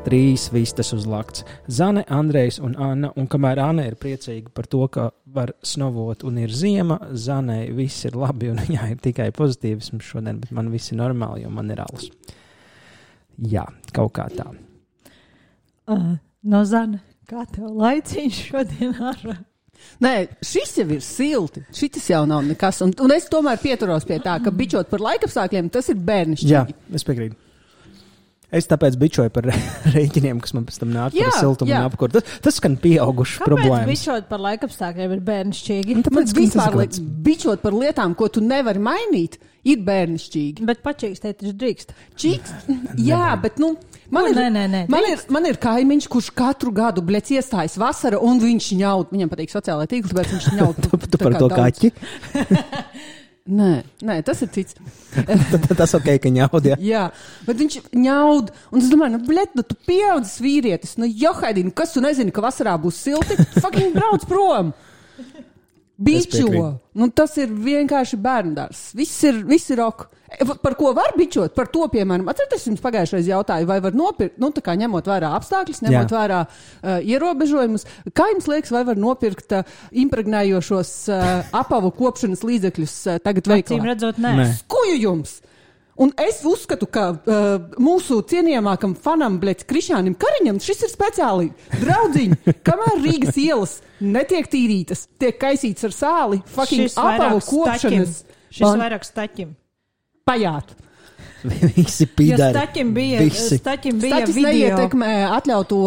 3 vistas uz lakts. Zane, Andrejs un Anna, un kamēr Anna ir priecīga par to, ka var snovot un ir ziema, Zanei viss ir labi un viņā ir tikai pozitīvisms šodien, bet man viss ir normāli, jo man ir alus. Jā, kaut kā tā. No Zane, kā tev laiciņš šodien ārā? Nē, šis jau ir silti. Šitas jau nav nekas. Un es tomēr pieturos pie tā, ka bičot par laikapstākļiem, tas ir bērnišķīgi. Jā, es piekrītu. Es tāpēc bičoju par rēķiniem, kas man pēc tam nāk par siltumu un apkuru. Tas skan pieaugušas problēmas. Kāpēc bičot par laikapstākļiem ir bērnišķīgi? Tāpēc vispār bičot par lietām, ko tu nevari mainīt, ir bērnišķīgi. Bet pačīkstēt taču drīkst. Jā, bet man ir kaimiņš, kurš katru gadu iestājas vasara un viņš ņaud. Viņam patīk sociālai tīkli, tāpēc viņš ņaud. Tu par to kaķi? Nē, tas ir cits. Tas ok, ka ņaud, jā. Jā, bet viņš ņaud. Un es domāju, tu pieaudzis vīrietis. Johaidī, kas tu nezini, ka vasarā būs silti? Fucking brauc prom. Bičo. Tas ir vienkārši bērndārs. Viss ir ok. Par ko var bičot? Par to, piemēram, atcerieties, jums pagājušais jautāju, vai var nopirkt, tā kā ņemot vērā apstākļus, ņemot vērā ierobežojumus, kā jums liekas, vai var nopirkt impregnējošos apavu kopšanas līdzekļus tagad veikalā? Acīm redzot, nē. Skuju jums! Un es uzskatu, ka mūsu cienījamākam fanam, Krišānim Kariņam, šis ir speciāli draudziņi, kamēr Rīgas ielas netiek tīrītas, tiek kaisīts ar sāli, fucking apavu kopšanas. Šis vairāk staķim. Pajāt. Visi pīdari. Staķim bija Staķis video. neietekmē atļauto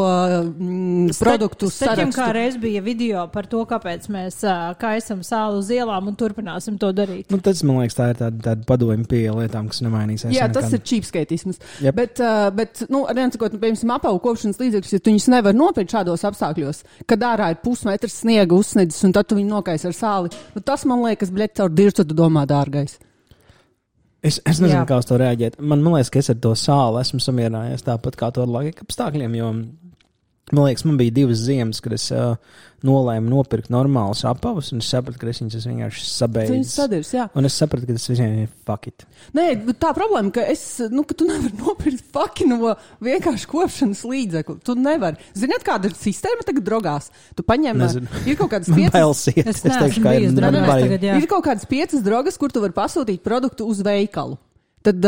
produktu Staķim sarakstu. kā reiz bija video par to, kāpēc mēs kaisam sāli uz ielām un turpināsim to darīt. Tas, man liekas, tā ir tāda padomju pie lietām, kas nemainīsies. Jā, tas ir cheapskateisms. Yep. Bet arī sakot, piemēram, apavu kopšanas līdzekļus, ja tu viņus nevar nopirkt šādos apstākļos, kad ārā ir pusmetrs sniega uzsniedzis un tad tu viņu nokais ar sāli, tas, man liekas, caur dirstu tu domā dārgais. Es nezinu, kā uz to reaģēt. Man liekas, ka es ar to sāli esmu samierinājies tāpat kā to ar laikapstākļiem, jo man liekas, man bija 2 ziemas, kad es nolēmu nopirkt normālus apavus, un es sapratu, ka es viņus vienkārši sabeidzis. Un es sapratu, ka tas visiem ir fuck it. Nē, tā problēma, ka ka tu nevari nopirkt fuck no vienkārši kopšanas līdzekli. Tu nevari. Ziniet, kāda ir sistēma tagad drogās? Tu paņem, ir kaut kādas 5... Es teikšu, ka ir kaut kādas 5 drogas, kur tu vari pasūtīt produktu uz veikalu. Tad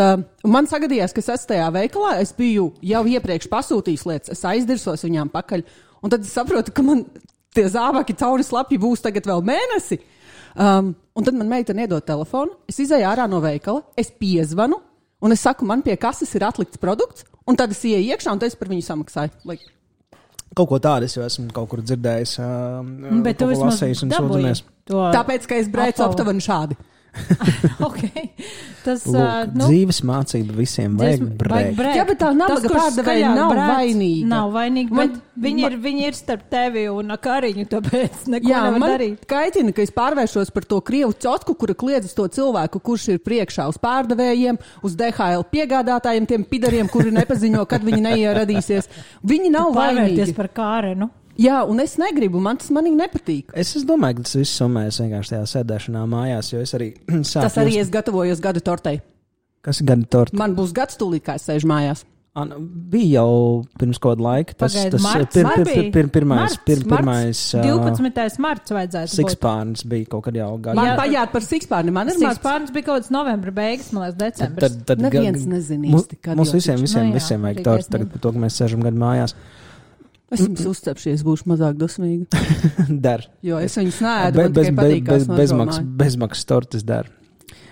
man sagadījās, ka es esmu tajā veikalā, es biju jau iepriekš pasūtījis lietas, es aizdirsos viņām pakaļ, un tad es saprotu, ka man tie zābaki cauri slapji būs tagad vēl mēnesi. Un tad man meitene iedod telefonu, es izēju ārā no veikala, es piezvanu, un es saku, man pie kases ir atlikts produkts, un tad es ieeju iekšā, un tad es par viņu samaksāju. Kaut ko tādu es jau esmu kaut kur dzirdējis, bet tu vismaz dabūji to. Tāpēc, ka es brēcu aptuveni šādi. Okay. Tas dzīves mācība visiem vajag brēkt. Jā, bet tā nabaga pārdevēja nav vainīga. Nav vainīga, bet viņi ir starp tevi un Kariņu, tāpēc neko nevar darīt. Kaitina, ka es pārvēršos par to krievu cotku, kura kliedz to cilvēku, kurš ir priekšā uz pārdevējiem, uz DHL piegādātājiem, tiem pidariem, kuri nepaziņo, kad viņi neieradīsies. Viņi nav vainīgi. Pārvērties par Kārenu. Jā, un es negribu, man tas manīgi nepatīk. Es domāju, ka tas viss summējas vienkārši tajā sēdēšanā mājās, jo es arī sāku... Tas arī es gatavojos gada tortei. Kas ir gada torte? Man būs gads tūlīt, kā es sēžu mājās. Bija jau pirms kādu laiku. Tas pirmais 12. marts vajadzētu būt. Sikspārns bija kaut kad jau gadu. Man pajāt par sikspārni. Man ir sikspārns bija kaut kāds novembra beigas, man liekas, decembris. Tad neviens nezinīs. Mums visiem vajag torti tagad par to, ka mēs sēžam gadu mājās. Es jums uzcepšies, būšu mazāk dosmīga. Dar. Jo es viņus neēdu, man tikai patīkās bezmaksas tortes dar.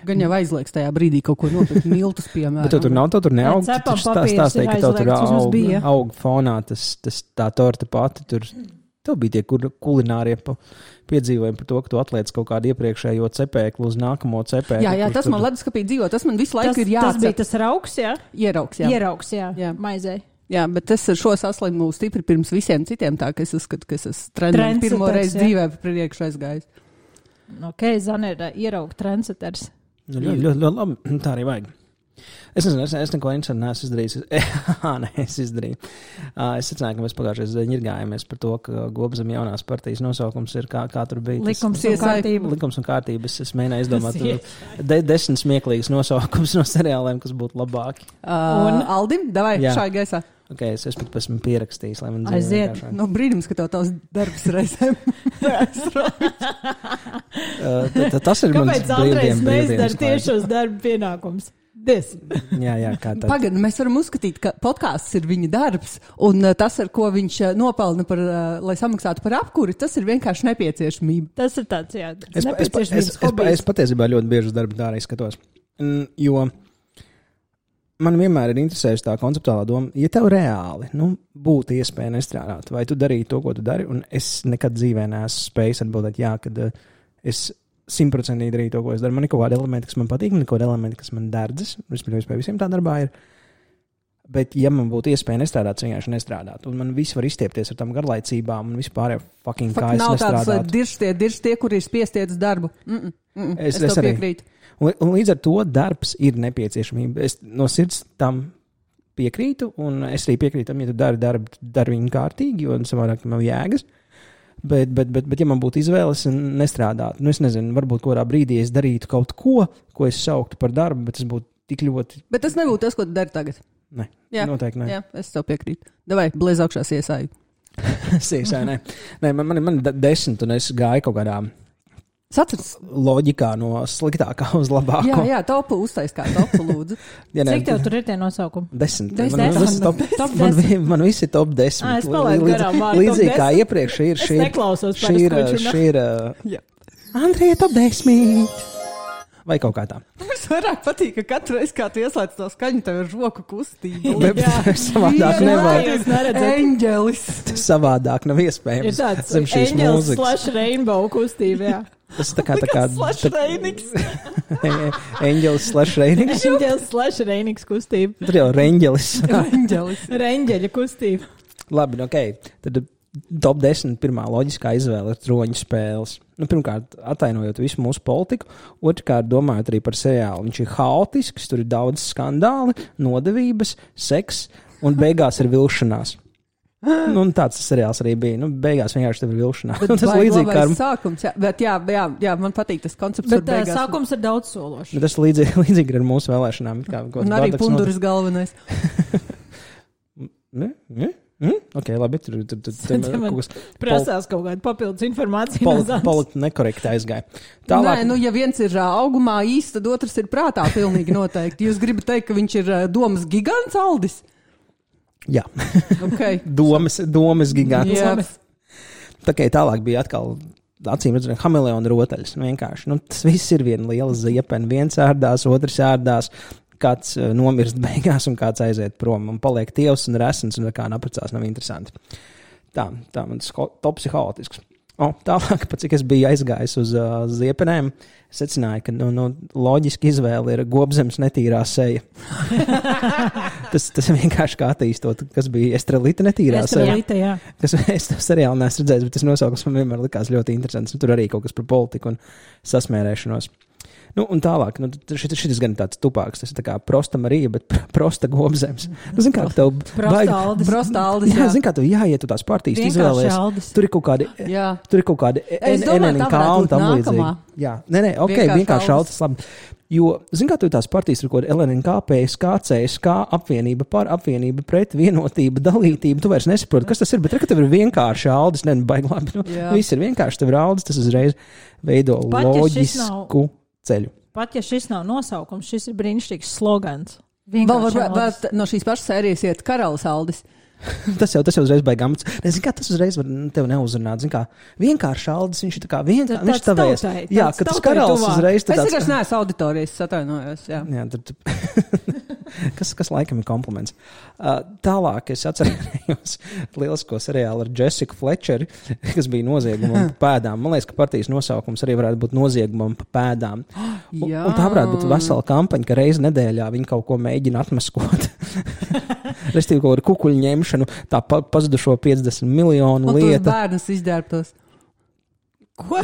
Gan jau aizliekas tajā brīdī kaut ko nopirkt miltus, piemēram. Bet tur nav, tur neaug. Tu stāstīji, ka tev tur aug fonā tā torte pati. Tev bija tie kulinārie piedzīvojumi par to, ka tu atliec kaut kādu iepriekšējo cepēklu uz nākamo cepēklu. Jā, tas man leduskapī dzīvo, tas man visu laiku ir jācep. Tas bija tas rauks, jā? Ierauks, jā. Maizei. Jā, bet es ar šo saslimu stipri pirms visiem citiem, tā ka es uzskatu, ka es esmu trendam pirmo reizi dzīvē priekš aizgājis. Ok, Zane ir ierauga trendseters. Ļoti labi, tā arī vajag. Es nezinu, es neko interesantu neesmu izdarījis. Es izdarīju. Es secināju, ka mēs pagājušajā reizē ņirgājāmies par to, ka Gobzem jaunās partijas nosaukums ir kā tur bija. Likums un kārtība. Likums un kārtība. Es mēģināju izdomāt 10 smieklīgas nosaukums no seriāliem, kas būtu labāki. Un Aldim, davai, šai gaisā. Ok, es pat esmu pierakstījis, lai man dzīvē vienkāršāk. No brīdums, ka tev tavs darbs reizēm tas ir mans Kāpēc Andrejs neizdara tiešos darba pienākums? Jā, kā tad. Pagad, mēs varam uzskatīt, ka podkāsts ir viņa darbs, un tas, ar ko viņš nopelna par, lai samaksātu par apkuri, tas ir vienkārši nepieciešamība. Tas ir tāds, jā, nepieciešamības hobijs. Es patiesībā ļoti bieži uz darbu tā arī skatos, jo man vienmēr ir interesējusi tā konceptuālā doma, ja tev reāli būtu iespēja nestrādāt, vai tu darītu to, ko tu dari, un es nekad dzīvē neesmu spējis atbildēt, jā, kad es 100% darīju to, ko es daru. Man ir kaut kādi elementi, kas man patīk, man ir kaut kādi elementi, kas man derdzas, respektīvi, pie visiem tā darbā ir. Bet, ja man būtu iespēja nestrādāt, es vienkārši nestrādātu. Un man viss var izstiepties ar tām garlaicībām un vispār fucking kā es nestrādātu. Nav tāds dirštie, kur ir spiestiet uz darbu. Es to piekrītu. Un līdz ar to darbs ir nepieciešamība. Es no sirds tam piekrītu, un es arī piekrītu tam, ja tu dari viņu kārtīgi, jo savādāk tam nav jēgas. Bet, ja man būtu izvēles nestrādāt, es nezinu, varbūt kādā brīdī es darītu kaut ko es sauktu par darbu, bet tas būtu tik ļoti... Bet tas nebūtu tas, ko tu dari tagad. Nē, noteikti nē. Jā, es tev piekrītu. Davai, blēz augšā siesāju. Siesāju, nē. Man 10, un es gāju kaut kādā... loģikā no sliktākā uz labāko. Jā, topu uztais kā topu, lūdzu. Cik tev tur ir tie nosaukumi? 10. Man visi ir top 10. Es palaidu garām vārdu. Līdzīgi kā iepriekš ir šī. Es neklausos par šī ir Andrija top 10. Vai kaut kā tā. Mums vairāk patīk, ka katru reizi, kā tu ieslēdz to skaņu, tev ir roku kustība. Savādāk nevar. Eņģelis. Savādāk nav iespējams. Ir tāds eņģelis / rainbow kustība, jā. Tas tā kā /Reinings. Eņģelis / Reinings. Eņģelis / Reinings kustība. Tur jau Reņģelis. Reņģeļa kustība. Labi, ok. Tad top 10 pirmā loģiskā izvēle ir troņu spēles. Pirmkārt, atainojot visu mūsu politiku, otrkārt, domājot arī par seriālu. Viņš ir haotisks, tur ir daudz skandāli, nodevības, seks un beigās ir vilšanās. Un tāds seriāls arī bija. Beigās vienkārši tev ir vilšanās. Tas ir līdzīgi kā sākums. Bet jā, man patīk tas koncepts. Bet sākums ir daudz sološs. Tas līdzīgi ar mūsu vēlēšanām. Un arī Punduras galvenais. Ok, labi. Tur prasās kaut kāda papildus informācija. Politi nekorekti aizgāja. Tālāk... Nē, ja viens ir augumā īsti, tad otrs ir prātā pilnīgi noteikti. Jūs gribat teikt, ka viņš ir domas gigants Aldis? Jā. Okay. domas gigants. Yes. Tā kā tālāk bija atkal acīm redzot hameleona rotaļas. Vienkārši. Tas viss ir viena liela ziepena. Viens ērdās, otrs ērdās. Kāds nomirst beigās un kāds aiziet prom un paliek tievs un resns un kā naprecās nav interesanti. Tā mans tops ir haotisks. Tālāk, cik es biju aizgājis uz ziepenēm, secināju, ka loģiski izvēle ir Gobzems netīrā seja. tas vienkārši kā attīstot, kas bija Estrelita netīrā seja. Estrelita, jā. Kas es to seriāli neesmu redzējis, bet tas nosaukums man vienmēr likās ļoti interesants. Tur arī kaut kas par politiku un sasmērēšanos. Un tālāk, šis gan tāds tupāks, tas ir tā kā prosta Marija, bet prosta Gobzems. Zin kā tev... Prosta Aldis, jā. Zin kā tev jāiet tu tās partijas izvēlēs. Tur ir kaut kādi NNK un tam līdzīgi. Jā, nē, ok, vienkārši Aldis, labi. Jo, zin kā tev tās partijas ir kaut kādi LNNK, PSK, CSK, apvienība par, apvienība pret, vienotība, dalītība. Tu vairs nesaproti, kas tas ir, bet tev ir vienkārši Aldis, baigi labi. Viss ir vienkārši, tev ir Aldis, tas uzreiz veido loģisku ceļu. Pat ja šis nav nosaukums, šis ir brīnišķīgs slogans. Vēl no šīs pašas sērijas iet Karalis Aldis. Tas jau uzreiz baigāms. Nezinu, kā tas uzreiz var tev neuzrunāt. Zin kā, vienkārši Aldis, viņš ir tā kā vienkārši, viņš tavēs. Jā, ka tas Karalis uzreiz. Es vienkārši neesmu auditorijas, atvainojos. Jā, kas laikam ir kompliments. Tālāk es atcerējos lielisko seriālu ar Jessiku Fletcheri, kas bija noziegumam pa pēdām. Man liekas, ka partijas nosaukums arī varētu būt noziegumam pa pēdām. Un tā varētu būt vesela kampaņa, ka reizi nedēļā viņi kaut ko mēģina atmaskot. Restīvi kaut kādu kukuļu ņemšanu, tā pazudušo 50 miljonu lieta. Un tos bērnus izģērbtos. Ko?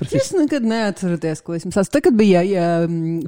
Jūs nekad neatceraties, ko esmu sācis. Tad, kad bija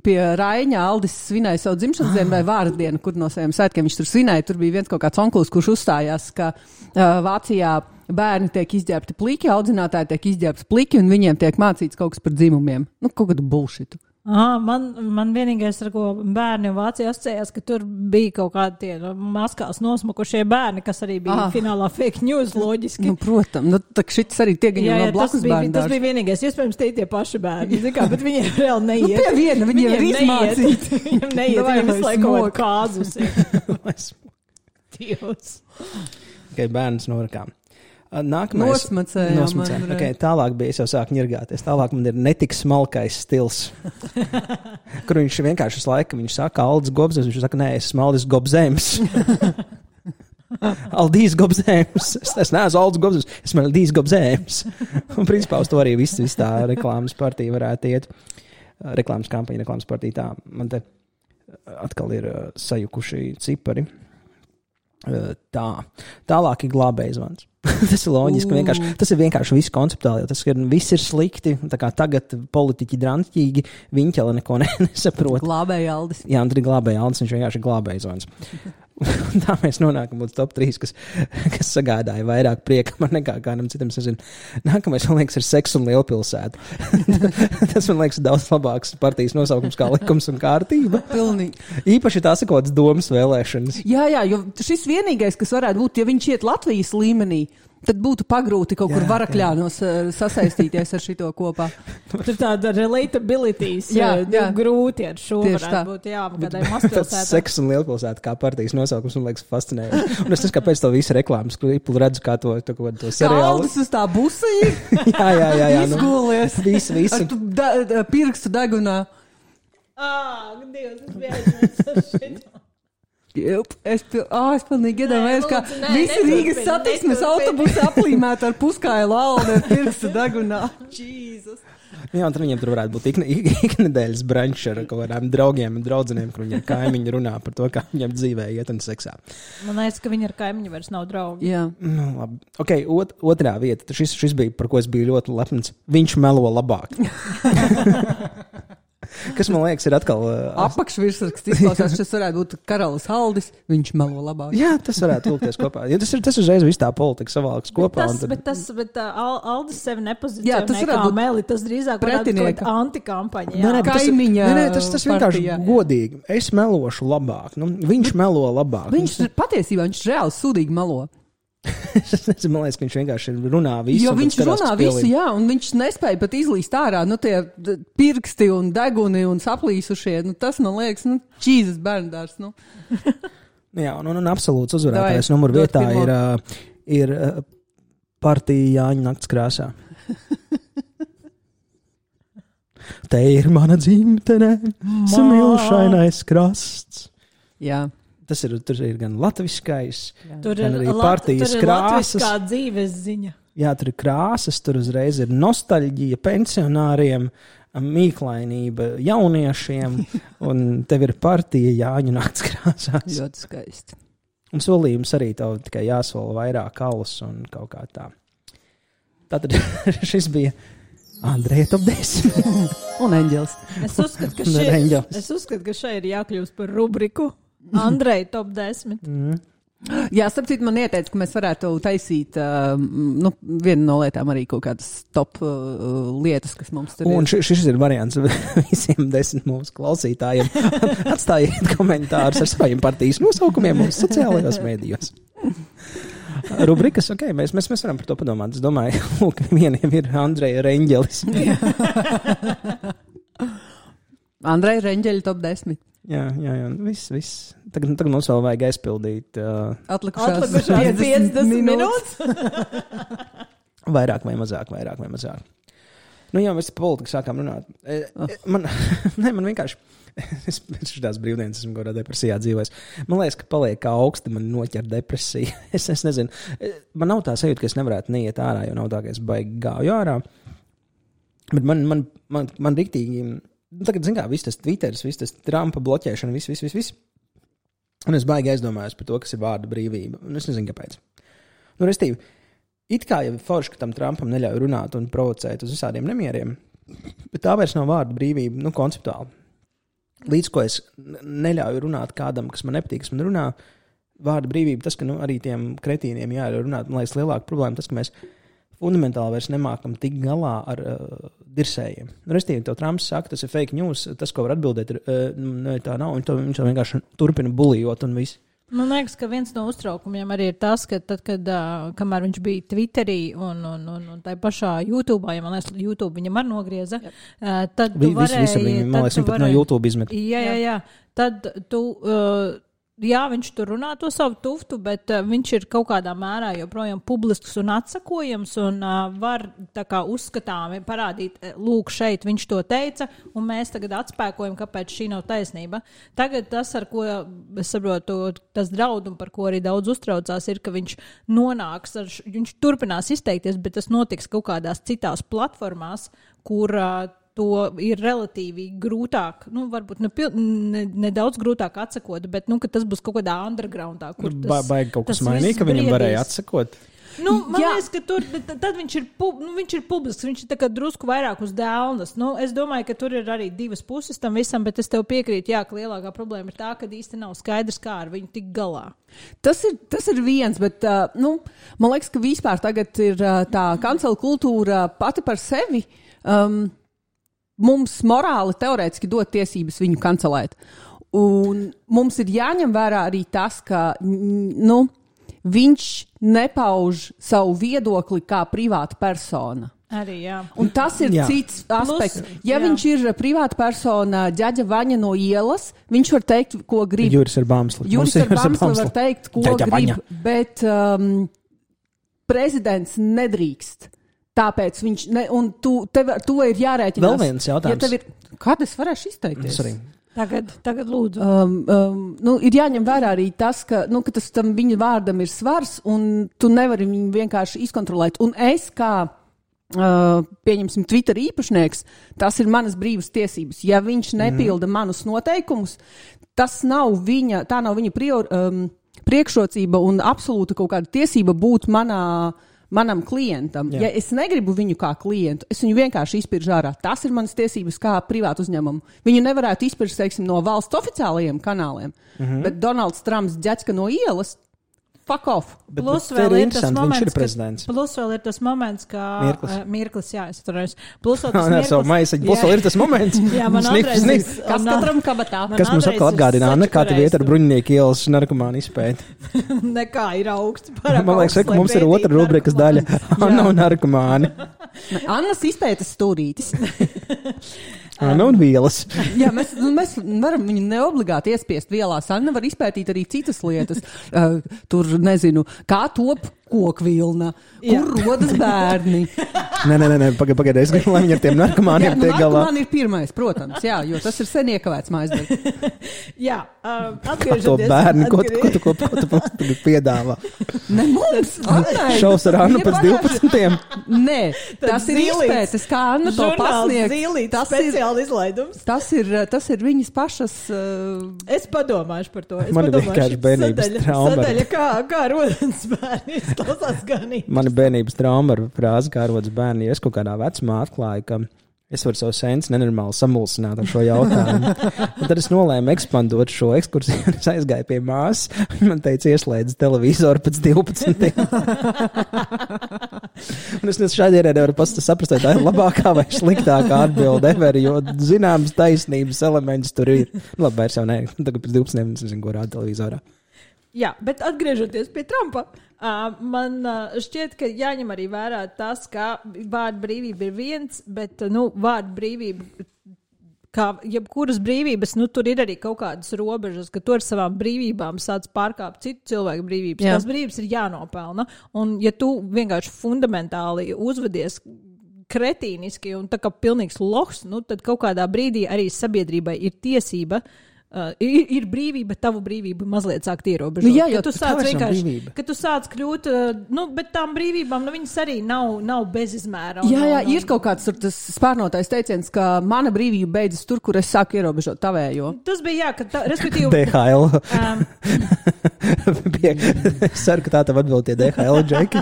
pie Raiņa Aldis svinēja savu dzimšanas dienu vai vārdienu, kur no saviem svētkiem viņš tur svinēja, tur bija viens kaut kāds onklis, kurš uzstājās, ka Vācijā bērni tiek izģērbti pliki, audzinātāji tiek izģērbti pliki un viņiem tiek mācīts kaut kas par dzimumiem. Nu, kaut kādu bullshitu. Man vienīgais, ar ko bērni Vācijā asociējās, ka tur bija kaut kādi tie maskās nosmukušie bērni, kas arī bija finālā fake news loģiski. Nu, protams, nu, tā šits arī tiek no blakus bērnu. Tas bija vienīgais, iespējams, tie paši bērni, bet viņiem reāli neiet. Nu, pie viena, viņiem ir izmācīti. Viņiem neiet, viņiem visu laiku kaut kāzus. Dievs. Okay, bērns norakām. Nākamais. Nosmacējām. Okay, tālāk bija, es jau sāku ņirgāties. Tālāk man ir netik smalkais stils. Kur viņš vienkārši laika, viņš saka Aldis Gobzems, viņš saka, nē, es esmu Aldis Gobzems. Aldīs Gobzems. Es neesmu Aldis Gobzems, es esmu Aldīs Gobzems. Un principā uz to arī viss tā reklāmas partija varētu iet. Reklāmas kampaņa, reklāmas partija tā. Man te atkal ir sajukuši cipari. Tālāk ir glābējs zvans. Tas ir loģiski, tas ir vienkārši viss konceptuāli, jo tas ir, viss ir slikti, tā kā tagad politiķi drantīgi, viņi jau neko nesaprot. Glābēja Aldis. Jā, un tur ir glābēja Aldis, viņš vienkārši glābēja zvans. Tā mēs nonākam līdz top 3, kas sagādāja vairāk prieka man nekā kādam citam. Nākamais, man liekas, ir Seks un Lielpilsēta. Tas, man liekas, daudz labāks partijas nosaukums kā Likums un kārtība. Pilnīgi. Īpaši tās ir kaut kādas domas vēlēšanas. Jā, jo šis vienīgais, kas varētu būt, ja viņš iet Latvijas līmenī, tad būtu pagrūti kaut kur Varakļānos sasaistīties ar šito kopā. Tur tāda relatabilities grūti ar šo varētu būt, kādai mazpilsētā. Seks un Lielpilsēta kā partijas nosaukums, man liekas, fascinējoši. Un es nezinu, kāpēc to visu reklāmas klipu redzu, kā to seriālu. Aldis uz tā busī? jā. Izgulies. Visu. Ar tu pirkstu degunā. Dievs, es biju aizmirst ar šito. Es pilnīgi iedomājos, ka visi Rīgas satiksmes autobusi aplīmēti ar puskailu aldi ar pirkstu degunā. Jesus. Jā, un tad viņiem tur varētu būt iknedēļas brančs ar kaut kādām draugiem un draudzeniem, kur viņiem kaimiņi runā par to, kā viņiem dzīvē iet un seksā. Man liekas, ka viņi ar kaimiņu vairs nav draugi. Jā. Nu, labi. Ok, otrā vieta. Šis bija, par ko es biju ļoti lepns. Viņš melo labāk. Kas, man liekas, ir atkal... Apakšvirsraksts izklausās, šis varētu būt Karalis Aldis, viņš melo labāk. Jā, tas varētu vilkties kopā. Jo tas uzreiz viss tā politika savāks kopā. Bet Aldis sevi nepozicionē kā meli, tas drīzāk varētu būt antikampaņa. Kaimiņa tas vienkārši godīgi. Es melošu labāk. Viņš melo labāk. Viņš patiesībā, viņš reāli sūdīgi melo. Es nezinu, man liekas, ka viņš vienkārši runā visu. Jo viņš runā visu, jā, un viņš nespēja pat izlīst ārā, tie pirksti un deguni un saplīsušie, tas, man liekas, Jesus bērndārs, Jā, un absolūts uzvarētājs numur vietā ir partija Jāņa nakts krāsā. Te ir mana dzimtene, smilšainais krasts. Jā. Tur ir gan latviskais, tur gan arī partijas krāsas. Tur ir latviskā dzīves ziņa. Jā, tur ir krāsas, tur uzreiz ir nostalģija pensionāriem, mīklainība jauniešiem, un tev ir partija Jāņu nakts krāsās. Ļoti skaisti. Un solījums arī tev tikai jāsola vairāk alus un kaut kā tā. Tātad šis bija Andreja top 10. Un Eņģelis. Es uzskatu, ka šai ir jākļūst par rubriku. Andreja top 10. Jā, starp citu, man ieteica, ka mēs varētu taisīt vienu no lietām arī kaut kādas top lietas, kas mums tur ir. Un šis ir variants visiem 10 mūsu klausītājiem. Atstājiet komentārus ar saviem partijas nosaukumiem mūsu sociālajos mēdījos. Rubrikas, ok, mēs varam par to padomāt. Es domāju, lūk, vieniem ir Andreja Reņģelis. Andreja Reņģeļa top 10. Jā, viss. Tagad mums vēl vajag aizpildīt. Atlikušās 50 minūtes. Vairāk vai mazāk. Nu jā, mēs par politiku sākām runāt. Man vienkārši, es pēc šitās brīvdienas esmu kādā depresijā dzīvojis. Man liekas, ka paliek kā augsti, man noķer depresija. Es nezinu, man nav tā sajūta, ka es nevarētu neiet ārā, jo nav tā, ka es baigi gāju ārā. Bet man riktīgi... Tagad, zin kā, viss tas Twitteris, viss tas Trumpa bloķēšana, viss. Un es baigi aizdomājos par to, kas ir vārda brīvība. Un es nezinu, kāpēc. Restīvi, it kā jau forši, ka tam Trumpam neļauj runāt un provocēt uz visādiem nemieriem, bet tā vairs nav vārda brīvība, konceptuāli. Līdz ko es neļauju runāt kādam, kas man nepatīk, kas man runā, vārda brīvība, tas, ka arī tiem kretīniem jāļauj runāt, man liekas, lielāka problēma tas, ka mēs fundamentāli vairs nemākam tik galā ar dirsējiem. Restīvi, tev Trumps saka, tas ir fake news, tas, ko var atbildēt, tā nav, viņš vienkārši turpina bulijot un viss. Man liekas, ka viens no uztraukumiem arī ir tas, ka tad, kamēr viņš bija Twitterī un tā pašā YouTube, ja man liekas, YouTube viņam arī nogrieza, tad tu varēji... Visu viņu, man liekas, viņš pat no YouTube izmet. Jā. Tad tu... Jā, viņš tur runā to savu tuftu, bet viņš ir kaut kādā mērā joprojām publisks un atsakojams un var tā kā uzskatāmi parādīt, lūk, šeit viņš to teica, un mēs tagad atspēkojam, kāpēc šī nav taisnība. Tagad tas, ar ko es saprotu, tas draud un par ko arī daudz uztraucās, ir, ka viņš nonāks, viņš turpinās izteikties, bet tas notiks kaut kādās citās platformās, kur to ir relatīvi grūtāk, varbūt nedaudz grūtāk atsakot, bet, ka tas būs kaut kādā undergroundā, kur tas... Baigi kaut kas mainīgi, ka viņam varēja atsakot? Man liekas, ka tur, tad viņš ir publisks, viņš ir tā kā drusku vairāk uz dēlnas. Es domāju, ka tur ir arī divas puses tam visam, bet es tev piekrītu, ka lielākā problēma ir tā, ka īsti nav skaidrs, kā ar viņu tik galā. Tas ir viens, bet, man liekas, ka vispār tagad ir tā kancela kultūra pati par sevi, mums morāli teorētiski dot tiesības viņu kancelēt. Un mums ir jāņem vērā arī tas, ka viņš nepauž savu viedokli kā privāta persona. Arī, jā. Un tas ir cits aspekts. Viņš ir privāta persona, ģaģa Vaņa no ielas, viņš var teikt, ko grib. Juris ar Bāmsli var teikt, ko ģaģa grib, Vaņa. Bet prezidents nedrīkst. Tāpēc viņš, un tu ir jārēķinās. Vēl viens jautājums. Kāda es varēšu izteikties? Tagad lūdzu. Ir jāņem vērā arī tas, ka tas tam viņa vārdam ir svars, un tu nevari viņu vienkārši izkontrolēt. Un es kā, pieņemsim, Twitter īpašnieks, tas ir manas brīvas tiesības. Ja viņš nepilda manus noteikumus, tā nav viņa priekšrocība un absolūta kaut kāda tiesība būt manam klientam. Jā. Ja es negribu viņu kā klientu, es viņu vienkārši izpiržu ārā. Tas ir manas tiesības kā privātu uzņēmumu. Viņu nevarētu izpirkt, teiksim, no valsts oficiālajiem kanāliem, bet Donalds Trumps ģeķka no ielas, fuck off. Plus vēl ir tas moments, ka... Mirklis. Jā, es turējos. Plus vēl ir tas moments. Jā, man atreiz. Kas katram kabatā? Kas mums atkal atgādināja, kā tu vieta ar bruņinieku ielas narkomānu izpēti? Nekā ir augsts. Man liekas, ka mums ir otra rubrikas daļa. Anna un narkomāni. Annas izpētes stūrītis. Anna un vielas. Jā, mēs varam viņu neobligāti iespiest vielās. Anna var izpētīt arī citas lietas. Tur, nezinu, kā top kokvilna, kur rodas bērni. Nē, pagaidi, es gribu, lai viņi ar tiem narkomāniem tiek galā. Narkomāni ir pirmais, protams, jā, jo tas ir sen iekavēts mājasdarbs. Jā, atgriežoties. To bērni, ko tu piedāvā? Ne mums, Annai. Šaus ar Annu pēc 12. Nē, tas ir izpētes, kā Anna to pasniegt. Tas ir speciāli izlaidums. Tas ir viņas pašas... Es padomāšu par to. Man ir vienkārši bērnības trauma. Sadaļa, kā rodas bērni. Man ir bērnības trauma ar frāzi, kā rodas bērni. Ja es kaut kādā vecumā atklāju, ka es varu savu sensi nenormāli samulsināt ar šo jautājumu. Un tad es nolēmu ekspandot šo ekskursiju. Es aizgāju pie māsas. Man teica, ieslēdz televizoru pēc 12. Un es šādi nevaru saprast, vai tā ir labākā vai sliktākā atbilde ever, jo zināmas taisnības elements tur ir. Labi, vairs jau nē. Tagad pēc 12. es nezinu, ko rāda televizorā. Jā, bet atgriežoties pie Trumpa, man šķiet, ka jāņem arī vērā tas, ka vārda brīvība ir viens, bet, vārda brīvība, kā jebkuras brīvības, tur ir arī kaut kādas robežas, ka tu ar savām brīvībām sāc pārkāpt citu cilvēku brīvības. Jā. Tās brīvības ir jānopelna, un ja tu vienkārši fundamentāli uzvedies kretīniski un tā kā pilnīgs lohs, tad kaut kādā brīdī arī sabiedrībai ir tiesība Ir brīvība, bet tavu brīvību mazliet sākt ierobežot. Nu, jā, jo tu sāc vienkārši, ka tu sāc kļūt, bet tām brīvībām, viņas arī nav bezizmēra. Jā, ir kaut kāds tas spārnotais teiciens, ka mana brīvība beidzas tur, kur es sāku ierobežot tavējo. Tas bija, respektīvi... DHL. Es ceru, ka tā tev atbild tie DHL džeki,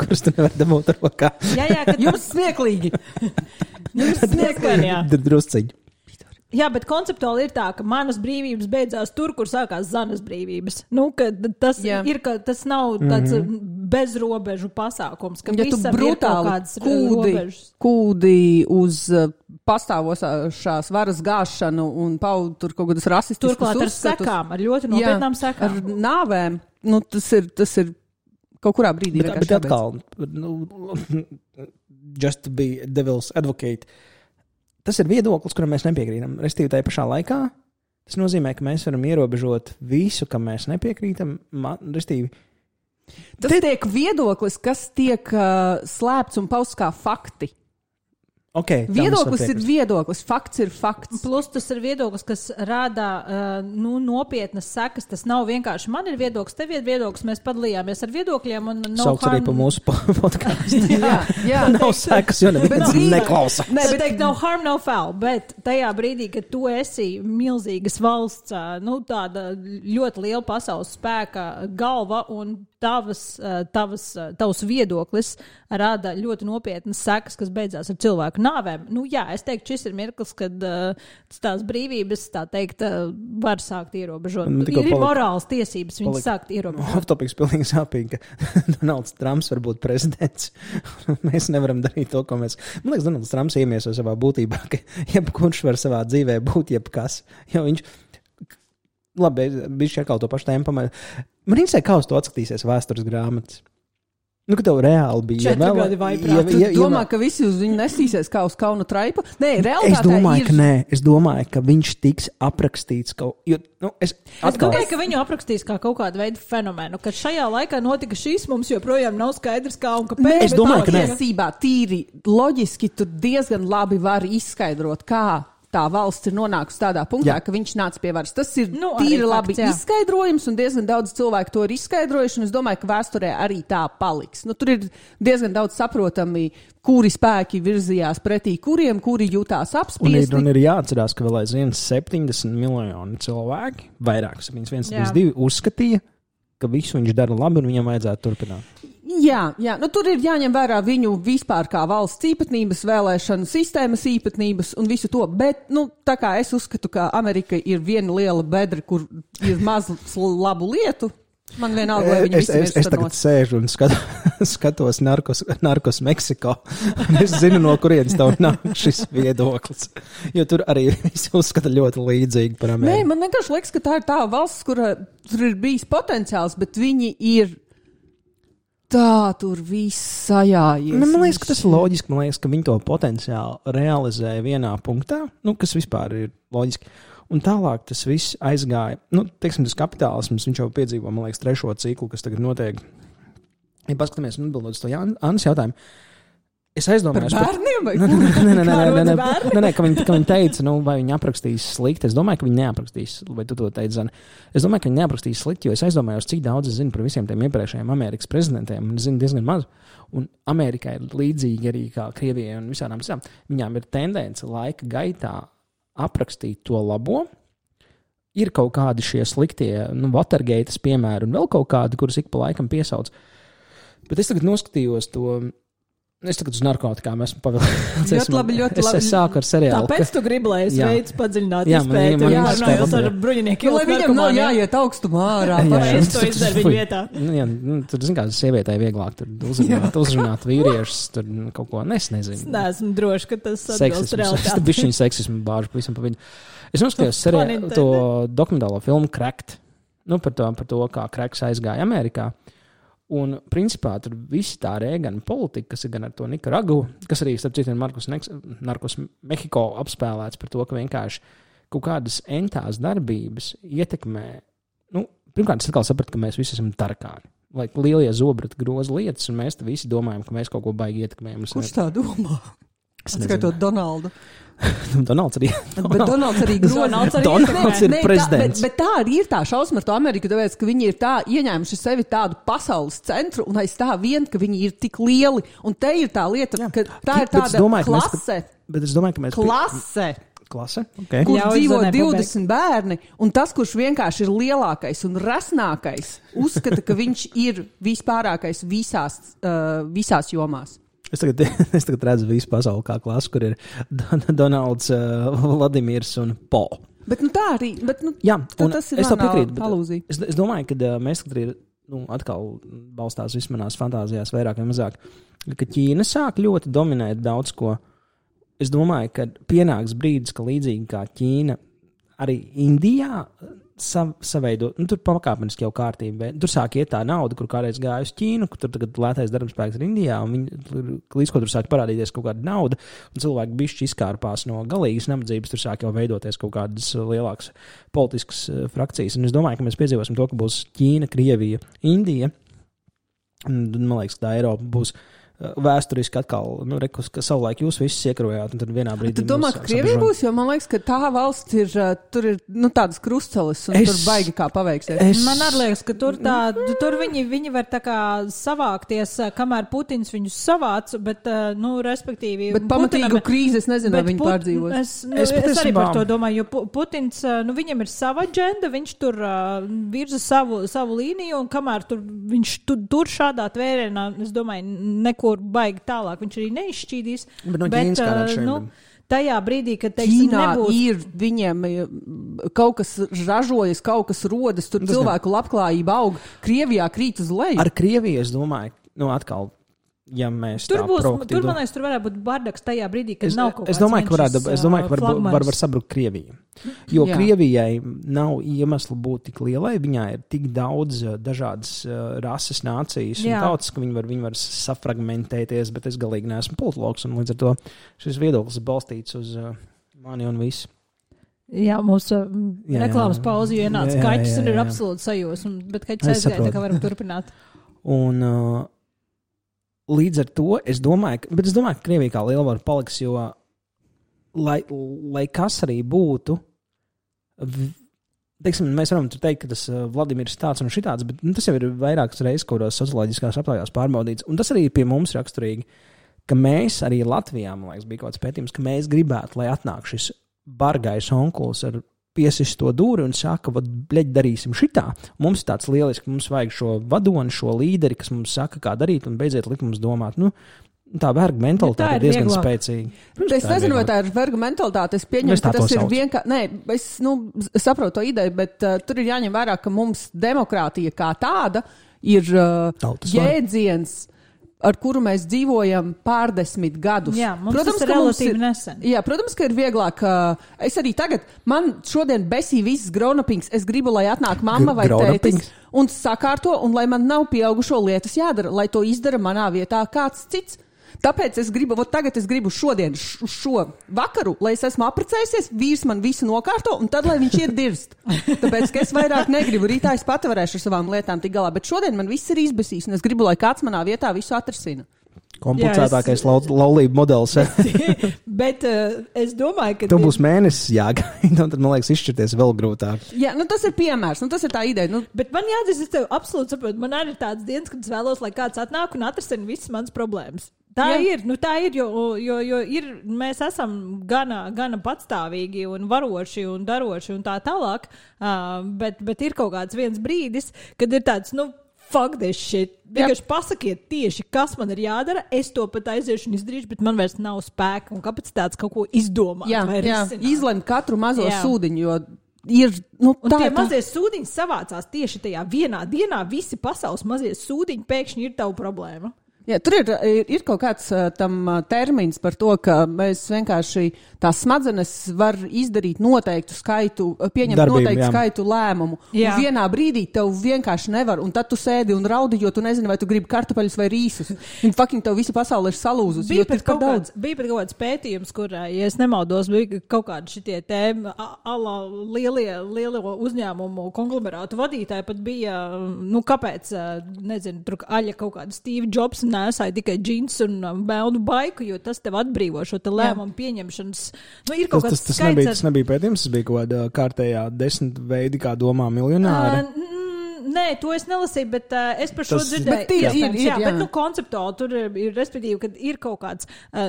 kurus tu nevar dabūt rokā. Jā, kad jums smieklīgi. Jā. Drusciņi. Jā, bet konceptuāli ir tā, ka manas brīvības beidzās tur, kur sākās Zanas brīvības. Tas nav tāds bezrobežu pasākums, ka ja visam ir kaut kādas robežas. Kūdi uz pastāvošās varas gāšanu un paudu tur kaut kādas rasistiskas uzskatus. Turklāt ar sekām, ar ļoti nopietnām sekām. Ar nāvēm. Tas ir kaut kurā brīdī. Bet atkal, just to be devil's advocate, tas ir viedoklis, kuram mēs nepiekrītam. Restīvi tajā pašā laikā, tas nozīmē, ka mēs varam ierobežot visu, kam mēs nepiekrītam. Restīvi. Tas tiek viedoklis, kas tiek slēpts un pausts kā fakti. Okay, viedoklis ir viedoklis, fakts ir fakts. Plus tas ir viedoklis, kas rādā nopietnas sekas. Tas nav vienkārši man ir viedoklis, tev ir viedoklis, mēs padalījāmies ar viedokļiem. Sauc arī pa mūsu podcastu. jā. Nav sekas, jo neviens neklausa. Bet no harm, no foul. Bet tajā brīdī, kad tu esi milzīgas valsts, tāda ļoti liela pasaules spēka galva un tavs viedoklis rāda ļoti nopietnas sekas, kas beidzās ar cilvēku nāvēm. Es teiktu, šis ir mirklis, kad tās brīvības, tā teikt, var sākt ierobežot. Ir morāls tiesības viņas sākt ierobežot. Off-topics pilnīgi sāpīgi, ka Donalds Trumps var būt prezidents. Mēs nevaram darīt to, ko mēs... Man liekas, Donalds Trumps iemieso savā būtībā, ka jebkurš var savā dzīvē būt jebkas. Jo viņš... Labi, bišķi atkal to pašu tēmu pamēr. Man interesē, kā uz to atskatīsies vēstures grāmatas. Ka tev reāli bija. 4 gadi vai prāt. Tu domā, ka visi uz viņu nesīsies kā uz kauna traipa? Nē, realitātē es domāju, ka nē. Es domāju, ka viņš tiks aprakstīts kaut... Es domāju, ka viņu aprakstīs kā kaut kādu veidu fenomenu, ka šajā laikā notika šīs, mums joprojām nav skaidrs kā un kāpēc. Es domāju, ka tiesībā tīri loģiski tu diezgan labi vari izskaidrot, kā tā valsts ir nonākusi tādā punktā, ka viņš nāca pie varas. Tas ir tīri labi izskaidrojums, un diezgan daudz cilvēku to ir izskaidrojuši, un es domāju, ka vēsturē arī tā paliks. Tur ir diezgan daudz saprotami, kuri spēki virzījās pretī kuriem, kuri jutās apspiesti. Un ir jāatcerās, ka vēl aizvien 70 miljoni cilvēki, vairāk 1,2 uzskatīja, ka visu viņš dara labi un viņam vajadzētu turpināt. Jā, tur ir jāņem vērā viņu vispār kā valsts īpatnības, vēlēšanu sistēmas īpatnības un visu to, bet, tā kā es uzskatu, ka Amerika ir viena liela bedra, kur ir maz labu lietu, man vienalga, lai viņi visi mirst. Es tagad sēžu un skatos Narkos Meksiko, un es zinu, no kurienes tev nāk šis viedoklis, jo tur arī visi uzskata ļoti līdzīgi par Ameriku. Nē, man vienkārši liekas, ka tā ir tā valsts, kur tur ir bijis potenciāls, bet viņi ir tur viss sajājies. Man liekas, ka tas ir loģiski. Man liekas, ka viņi to potenciāli realizēja vienā punktā, kas vispār ir loģiski. Un tālāk tas viss aizgāja. Teiksim, tas kapitālisms, viņš jau piedzīvo, man liekas, 3. ciklu, kas tagad notiek. Ja paskatāmies un atbildot uz to Annas jautājumu, es aizdomājos par bērniem vai Nē, ka viņi teica, vai viņi aprakstīs slikti. Es domāju, ka viņi neaprakstīs, vai tu to teici, Zana. Es domāju, ka viņi neaprakstīs slikti, jo es aizdomājos, cik daudz es zinu par visiem tiem iepriekšējiem Amerikas prezidentiem, un es zinu diezgan maz. Un Amerikai ir līdzīgi arī kā Krievijai un visādām. Viņām ir tendence laika gaitā aprakstīt to labo. Ir kaut kādi šie sliktie, Watergates piemēri un vēl kaut kādi, kurus ik pa laikam piesauc. Bet es tagad noskatījos to... Es tagad uz narkotikām esmu pavilcis. Ļoti labi. Es sāku ar seriālu. Tāpēc tu gribi, lai es veicu padziļināt izpēti. Runājot ar bruņiniekiem. Lai viņam nav jāiet augstumā ārā. Es to izdaru viņu vietā. Tur, zin kā, sievietei vieglāk uzrunāt vīriešus, tur kaut ko nezinu. Es neesmu droši, ka tas atbilst realitāti. Tas bišķiņu seksismu bāžu pavisam pa viņu. Es noskatījos to dokumentālo filmu Cracked. Par to, kā Cracks aizgāja Amerikā. Un, principā, tur visi tā Reagana politika, kas ir gan ar to Nikaragu, kas arī, starp citu, Narkos Mehiko apspēlēts par to, ka vienkārši kaut kādas entās darbības ietekmē. Pirmkārt, es atkal sapratu, ka mēs visi esam tarkāni. Lai lielie zobrati groza lietas, un mēs te visi domājam, ka mēs kaut ko baigi ietekmējam. Kurš tā domā? Skaitot Donaldu. Donalds arī. Bet Donalds arī Donalds ir prezidents. Bet tā arī ir tā šausma ar to Ameriku, tāpēc, ka viņi ir tā ieņēmuši sevi tādu pasaules centru un aiz tā vien, ka viņi ir tik lieli. Un te ir tā lieta, ka tā ir tāda klase. Bet es domāju, ka mēs... Klase? Okay. Kur dzīvo 20 bērni, un tas, kurš vienkārši ir lielākais un resnākais, uzskata, ka viņš ir vispārākais visās jomās. Es tagad redzu visu pasauli kā klasu, kur ir Donalds, Vladimirs un Po. Bet tā arī, jā, tas ir manā alūzija. Es domāju, ka mēs katri ir, atkal balstās vismanās fantāzijās vairāk vai mazāk, ka Ķīna sāk ļoti dominēt daudz ko. Es domāju, ka pienāks brīdis, ka līdzīgi kā Ķīna, arī Indijā saveido, tur pakāpeniski jau kārtība. Tur sāk iet tā nauda, kur kādreiz gāja uz Ķīnu, kur tur tagad lētais darbspēks ir Indijā, un līdz ko tur sāk parādīties kaut kāda nauda, un cilvēki bišķi izkārpās no galīgas nabadzības, tur sāk jau veidoties kaut kādas lielākas politiskas frakcijas. Un es domāju, ka mēs piedzīvosim to, ka būs Ķīna, Krievija, Indija, un man liekas, ka tā Eiropa būs vēsturiski atkal, ka savulaik jūs visus iekarojāt, un tad vienā brīdī... Tu domā, ka Krievija būs, jo man liekas, ka tā valsts ir, tur ir, tādas krustceles, un tur baigi kā paveiksies. Man arī liekas, ka tur viņi var tā kā savākties, kamēr Putins viņus savāc, bet, respektīvi... Bet pamatīgu krīzi, es nezinu, vai viņi pārdzīvos. Es arī par to domāju, jo Putins, viņam ir sava agenda, viņš tur virza savu līniju, un kamēr viņš tur šādā tvērienā, es domāju, neko baigi tālāk, viņš arī neizšķīdīs. Bet tajā brīdī, kad, teiksim, Ķīnā nebūs... ir viņiem kaut kas ražojas, kaut kas rodas, tur cilvēku labklājība aug. Krievijā krīt uz leju. Ar Krieviju, es domāju, atkal, ja mēs tur man liekas, tur varētu būt bardaks tajā brīdī, kad nav kaut kāds es domāju, ka var sabrukt Krieviju. Jo Krievijai nav iemesla būt tik lielai, viņā ir tik daudz dažādas rases, nācijas un tautas, ka viņi var safragmentēties, bet es galīgi neesmu politologs, un līdz ar to šis viedoklis balstīts uz mani un visu. Jā, mūsu reklāmas pauzi ienāca kaķis un ir absolūti sajūsma, bet kaķis aizgāja, tā kā varam turpināt. Un līdz ar to es domāju, ka Krievija kā lielvara paliks, jo lai kas arī būtu, teiksim, mēs varam teikt, ka tas Vladimirs tāds un šitāds, bet tas jau ir vairākas reizes kādos socioloģiskās aptaujās pārbaudīts, un tas arī pie mums raksturīgi, ka mēs arī Latvijā, man liekas, bija kaut kāds pētījums, ka mēs gribētu, lai atnāk šis bargais onkulis ar piesist to dūri un saka, darīsim šitā. Mums ir tāds lieliski, mums vajag šo vadoni, šo līderi, kas mums saka, kā darīt, un beidziet likt mums domāt. Tā verga mentalitāte ir diezgan spēcīga. Es nezinu, vai tā ir verga mentalitāte. Es pieņemu, ka tas ir vienkārši... Nē, es saprotu to ideju, bet tur ir jāņem vērā, ka mums demokrātija kā tāda ir jēdziens, ar kuru mēs dzīvojam pārdesmit gadus. Jā, protams, tas ir relatīvi nesen. Jā, protams, ka ir vieglāk. Es arī tagad, man šodien besīja viss grounapings. Es gribu, lai atnāk mamma vai tētis un sakārto, un lai man nav pieaugušo lietas jādara, lai to izdara manā vietā kāds cits. Tāpēc es gribu šodien, šo vakaru, lai es esmu apprecējusies, vīrs man visu nokārto, un tad, lai viņš ir dirst. Tāpēc, ka es vairāk negribu, rītā es pati varēšu ar savām lietām tik galā, bet šodien man viss ir izbesīs, un es gribu, lai kāds manā vietā visu atrisina. Komplicētākais laulību modelis. Bet es domāju, ka... Tev būs mēnesis jāgaida, un tad, man liekas, izšķirties vēl grūtāk. Jā, tas ir piemērs, tas ir tā ideja. Bet man jāatzīst, es tev absolūti saprotu, man arī ir tāds dienas, kad es vēlos, lai kāds atnāk un atrisina visas manas problēmas. Tā ir, jo ir, mēs esam gana patstāvīgi un varoši un daroši un tā tālāk, bet ir kaut kāds viens brīdis, kad ir tāds, fuck this shit. Vienkārši pasakiet tieši, kas man ir jādara, es to pat aiziešu un izdarīšu, bet man vairs nav spēka un kapacitātes kaut ko izdomāt. Jā, izlemt katru mazo sūdiņu, jo ir, un tie mazie sūdiņi savācās tieši tajā vienā dienā, visi pasaules mazie sūdiņi pēkšņi ir tavu problēma. Jā, tur ir kaut kāds tam termins par to, ka mēs vienkārši tās smadzenes var izdarīt noteiktu skaitu, pieņemt noteiktu skaitu lēmumu. Jā. Un vienā brīdī tev vienkārši nevar, un tad tu sēdi un raudi, jo tu nezini, vai tu gribi kartupeļus vai rīsus. Un fucking tev visa pasaule ir salūzus. Bija pat kaut kāds pētījums, kur, ja es nemaldos, bija kaut kādi šitie tēma, lielie uzņēmumu konglomerātu vadītāji pat bija, kāpēc, nezinu, tur aļa kaut kāda Steve Jobs nesāji tikai džins un melnu baiku, jo tas tev atbrīvo šo te lēmumu pieņemšanas. Nu, ir kaut kāds skaits. Tas nebija pētījums, tas bija kaut kāda kārtējā 10 veidi, kā domā miljonāri. Nē, to es nelasīju, bet es par šo dzirdēju. Bet konceptuāli tur ir, respektīvi, kad ir kaut kāds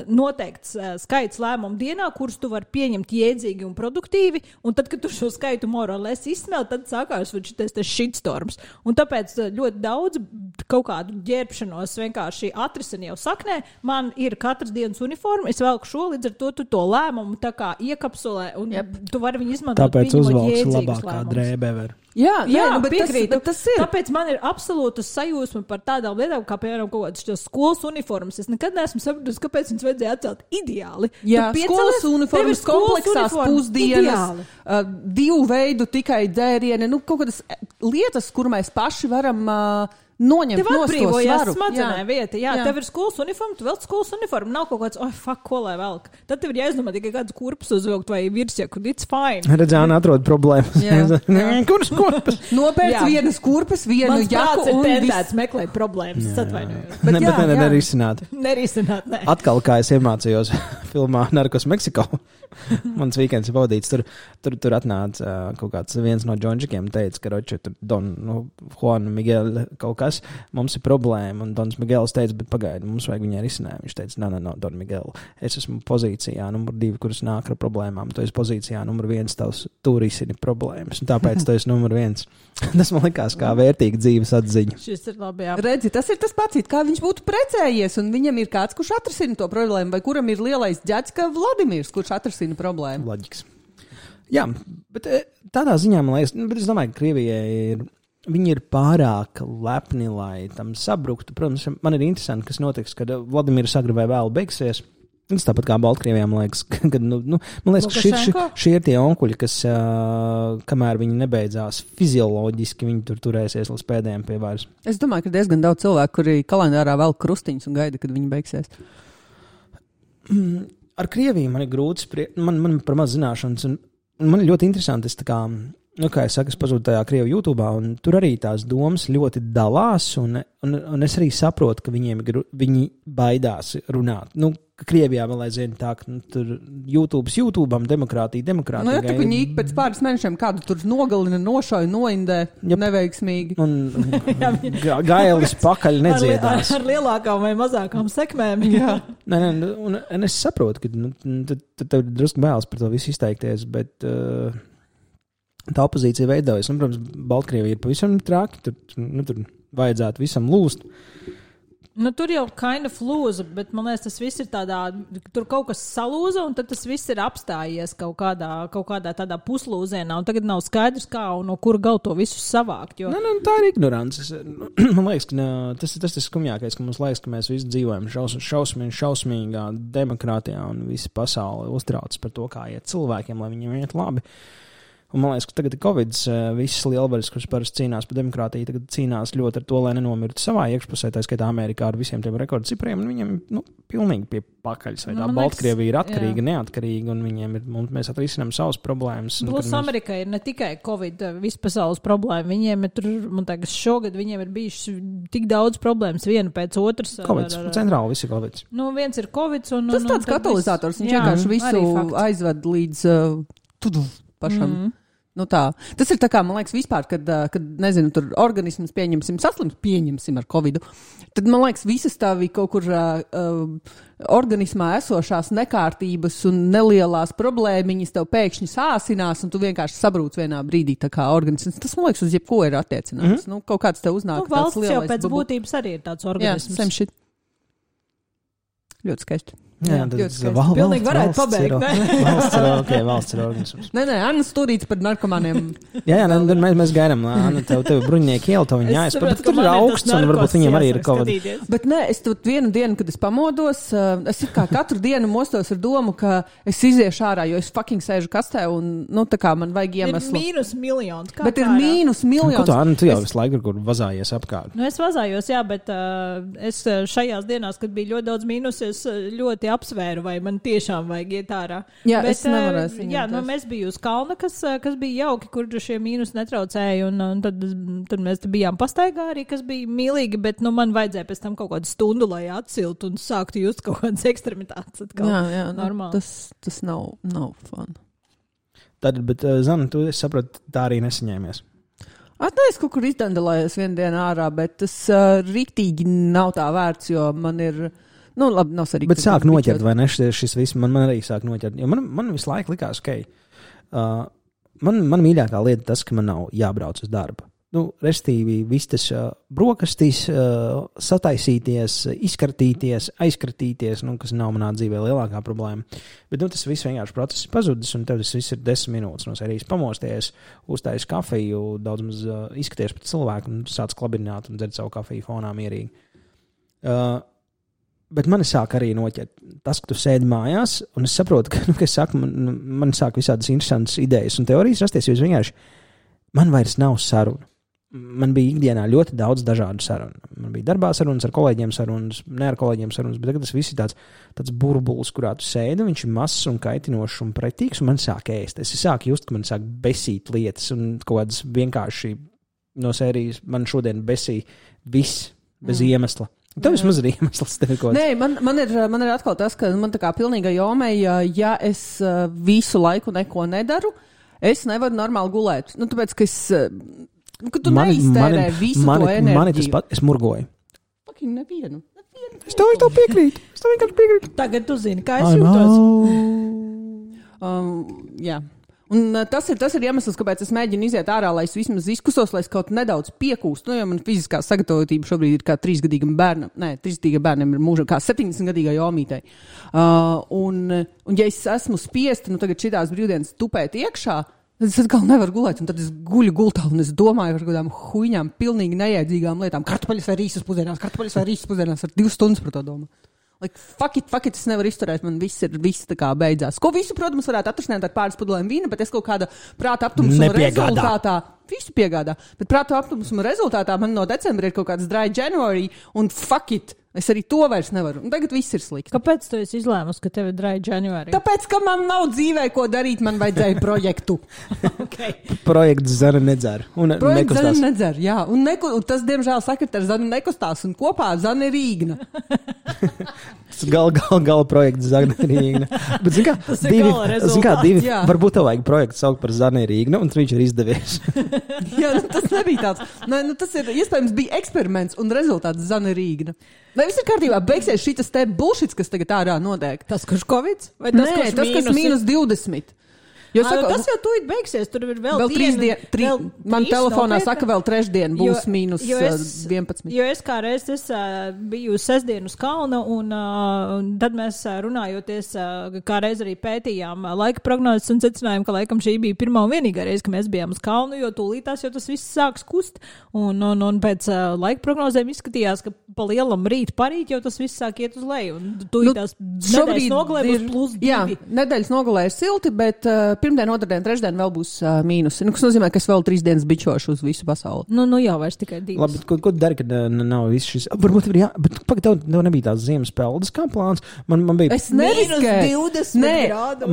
noteikts skaits lēmumu dienā, kurus tu vari pieņemt jēdzīgi un produktīvi, un tad, kad tu šo skaitu morālēs izsmēl, tad sākās šitas shitstorms. Un tāpēc ļoti daudz kaut kādu ģērbšanos vienkārši atrisina jau saknē. Man ir katras dienas uniforma, es velku šo, līdz ar to lēmumu tā kā iekapsulē, un tu vari viņu izmantot. Tāpēc uzvalks labākā drēbē var. Jā, bet tas ir. Tāpēc man ir absolūta sajūsma par tādām lietām, kā piemēram kaut kādas skolas uniformas. Es nekad neesmu sapratusi, kāpēc viņas vajadzēja atcelt ideāli. Jā, skolas uniformas, kompleksās pusdienas, 2 veidu tikai dzērieni, kaut kādas lietas, kur mēs paši varam noņemt tev atbrīvojās smadzenē vieta. Jā, tev ir skolas uniforma, tu velc skolas uniformu. Nav kaut kāds, ko lai velk. Tad tev ir jāizdomā tikai kāds kurpes uzvilkt vai virsjaku. It's fine. Redzēna atrod problēmas. Kuras kurpes? Nopērc vienas kurpes, vienu jaku un tendēts meklēt problēmas. Atvainojos. Bet nerisināt. Nerisināt, ne. Atkal, kā es iemācījos filmā Narcos Meksiko. Mans weekends ir pavadīts. Tur atnāca kaut kāds viens no džonžikiem teica, ka roči, tur Juan Miguel kaut kas, mums ir problēma. Un Dons Miguels teica, bet pagaidi, mums vajag viņai risinājumu. Viņš teica, no, Don Miguel, es esmu pozīcijā numur 2, kuras nāk ar problēmām. Tu esi pozīcijā numur 1, tavs tu risini problēmas. Un tāpēc tu esi numur 1. Tas man likās kā vērtīga dzīves atziņa. Šis ir labi, jā. Redzi, tas ir tas pats, kā viņš būtu precējies, un viņam ir kāds, kurš atrisina to problēmu, vai kuram ir lielais ģēds, kā Vladimirs, kurš atrisina problēmu. Loģiks. Jā, bet tādā ziņā, man liekas, bet es domāju, ka Krievijai viņi ir pārāk lepni, lai tam sabruktu. Protams, man ir interesanti, kas notiks, kad Vladimirs agri vai vēl beigsies. Tas tāpat kā Baltkrievijā, man liekas, kad, man liekas, ka šie ir tie onkuļi, kas, kamēr viņi nebeidzās fizioloģiski, viņi turēsies līdz pēdējiem pie varas. Es domāju, ka diezgan daudz cilvēku, kuri kalendārā velk krustiņus un gaida, kad viņi beigsies. Ar Krieviju man ir grūti spriest, man par maz zināšanas, un man ir ļoti interesanti, es tā kā, kā es saku, es pazūdu tajā Krievu YouTubā, un tur arī tās domas ļoti dalās, un es arī saprotu, ka viņi baidās runāt. Krievijā vēl aizvien tā, ka tur YouTube'am demokrātija. Ja tā viņi pēc pāris mēnešiem kādu tur nogalina, nošauja, noindē, neveiksmīgi. Un gailis pakaļ nedziedās. Ar lielākām vai mazākām sekmēm. Jā. Un es saprotu, ka tev drusku bailes par to visu izteikties, bet tā opozīcija veidojas. Un, protams, Baltkrievija ir pavisam traki, tur vajadzētu visam lūst. Tur jau kind of lūza, bet man liekas, tas viss ir tādā, tur kaut kas salūza, un tad tas viss ir apstājies kaut kādā tādā puslūzienā, un tagad nav skaidrs, kā un no kura gal to visu savākt. Jo... Tā ir ignorants. Man liekas, ka tas ir skumjākais, ka mums liekas, ka mēs visi dzīvojam šausmīgā demokrātijā, un visi pasauli uztrauc par to, kā iet cilvēkiem, lai viņiem iet labi. Un man liekas, ka tagad ir Covid, visas lielvaras, kuras parasti cīnās par demokrātiju, tagad cīnās ļoti ar to, lai nenomirtu savā iekšpusē, tā skaitā Amerikā ar visiem tiem rekordcipriem, un viņiem, pilnīgi pie pakaļas, vai tā Baltkrievija ir atkarīga, neatkarīga, un viņiem ir, mēs atrisinām savas problēmas. Plus Amerikā ir ne tikai Covid, vispasaules problēma, viņiem ir tur, man liekas, šogad viņiem ir bijušas tik daudz problēmas, viena pēc otras. Covid, centrāli visi Covid. Viens ir Covid, un tas tāds katalizators, viņš vienkārši visu aizved līdz pašam. Tas ir tā kā, man liekas, vispār, kad nezinu, tur organisms pieņemsim ar Covidu, tad, man liekas, visas tavi kaut kur organismā esošās nekārtības un nelielās problēmiņas tev pēkšņi sāsinās, un tu vienkārši sabrūc vienā brīdī, tā kā organisms. Tas, man liekas, uz jebko ir attiecināts. Kaut kāds tev uznāk tāds lielais. Valsts jau pēc būtības arī ir tāds organisms. Jā, šit. Ļoti skaisti. Jā, tas pilnīgi varētu pabeigt, ne? Valsts ir organisms. Nē, Anna stūrīts par narkomāniem. Jā, mēs gaidām, Anna, tev brunieki ielu, tev viņi jāizprat, tur ir augsts, un varbūt viņiem arī ir Covid. Bet nē, es tur vienu dienu, kad es pamodos, es kā katru dienu mostos ar domu, ka es iziešu ārā, jo es fucking sēžu kastē, un, tā kā man vajag iemeslu. Ir -1. Bet ir -1. Ko tu, Anna, tu jau visu laiku kur vazājies apkārt? Es vazājos, jā, bet es šajās dienās, kad bija ļoti daudz mīnus, es ļoti apsvēru, vai man tiešām vajag iet ārā. Jā, bet, es nevarēšu. Jā, mēs bijām uz kalna, kas bija jauki, kur šie mīnus netraucēja, un tad mēs bijām pastaigā arī, kas bija mīlīgi, bet man vajadzēja pēc tam kaut kādu stundu, lai atsiltu un sāktu just kaut kādas ekstremitātes. Jā, normāli. Tas nav fun. Tad, bet, Zana, tu saproti, tā arī nesaņēmies. Es kaut kur izdandelējos vienu dienu ārā, bet tas riktīgi nav tā vērts, jo man ir, labi, nav sarīgi. Bet sāk noķert, vai ne, šis viss, man arī sāk noķert, jo man visu laiku likās, man mīļākā lieta tas, ka man nav jābrauc uz darbu. Restīvi, viss tas brokastīs, sataisīties, izkartīties, aizkartīties, kas nav manā dzīvē lielākā problēma. Bet tas viss vienkārši process pazudis, un tev tas viss ir 10 minūtes no sērijas pamosties, uztais kafiju, daudz maz izskaties pēc cilvēku, un sāc klabināt un dzert savu kafiju fonā mierīgi. Bet mani sāk arī noķert tas, ka tu sēdi mājās, un es saprotu, ka, es saku, man sāk visādas interesantas idejas un teorijas rasties, jo es vienkārši, man vairs nav saruna. Man bija ikdienā ļoti daudz dažādu sarunu. Man bija darbā sarunas, ar kolēģiem sarunas, ne ar kolēģiem sarunas, bet tagad tas viss ir tāds burbulis, kurā tu sēdi, viņš ir mazs un kaitinošs un pretīgs, un man sāk ēst. Es sāku just, ka man sāk besīt lietas, un kaut kādas vienkārši no sērijas man šodien besīja viss bez iemesla. Tev vismaz ir iemesls. Nē, man ir atkal tas, ka man tā kā pilnīga jomei, ja es visu laiku neko nedaru, es nevaru normāli gulēt. Tāpēc, ka ka tu neiztērē visu to enerģiju. Mani tas pat, es murgoju. Nevienu. Es tev piekrītu. Vienkārši piekrītu. Tagad tu zini, kā es jūtos. Jā. Un tas ir iemesls, kāpēc es mēģinu iziet ārā, lai es vismaz izkusos, lai es kaut nedaudz piekūstu. Jo man fiziskā sagatavotība šobrīd ir kā 3-gadīgam bērnam. Nē, 3-gadīgam bērnam ir mūža kā 70-gadīgai jomītei. Un ja es esmu spiesta, tagad šitās brīvdienas tupēt iekšā, es atkal nevaru gulēt, un tad es guļu gultā, un es domāju par kādām huņām, pilnīgi nejēdzīgām lietām. Kartupeļus vai rīsas pusdienās, ar 2 stundas par to domāju. Like, fuck it, es nevaru izturēt, man viss tā kā beidzās. Ko visu, protams, varētu atrasināt ar pāris pudelēm vīna, bet es kaut kāda prāta aptumusuma rezultātā, visu piegādā, bet prāta aptumusuma rezultātā man no decembra ir kaut kāds dry January, un fuck it. Es arī to vairs nevaru. Un tagad viss ir slikti. Kāpēc tu esi izlēmusi, ka tev ir dry January? Tāpēc, ka man nav dzīvē, ko darīt, man vajadzēja projektu. Okay. Projekts Zana nedzer. Projekts Zana nedzer, jā. Un tas, diemžēl, sekretārs Zana nekustās, un kopā Zana ir Rīgna. Gala projekts Zana ir Rīgna. Bet, zin kā, divi, varbūt tev vajag projektu saukt par Zana ir Rīgna, un viņš ir izdevies. Jā, tas nebija tāds. Tas ir, iespējams, bija eksperiments, un rezultāts Zana ir Rīgna. Vai viss ir kārtībā? Beigsies šitas te bullshits, kas tagad ārā notiek? Tas, kurš Covid? Vai tas, nē, tas, kas mīnus 20. Tas jau tūlīt beigsies, tur ir vēl 3 dienas. Man telefonā saka, vēl 3 dienas būs mīnus 11. Jo es kā reiz biju sestdienu uz kalna, un tad mēs runājoties, kā reiz arī pētījām laika prognozes un secinājām, ka laikam šī bija pirmā un vienīgā reize, ka mēs bijām uz kalnu, jo tūlītās jau tas viss sāks kust. Un pēc laika prognozēm izskatījās, ka pa lielam rīt parīt jau tas viss sāk iet uz leju. Un tūlītās nedēļas nogalē būs +2. Jā, nedēļas nogalē ir silti, bet pirmdien, otrdien, trešdien vēl būs mīnusi. Kas nozīmē, ka es vēl 3 dienas bičošu uz visu pasauli. Jā, vairs tikai 2. Labi, ko dari, kad nav viss šis? Varbūt ir bet tev nebija tās ziemas peldas kā plāns. Man bija... Es neriskēju.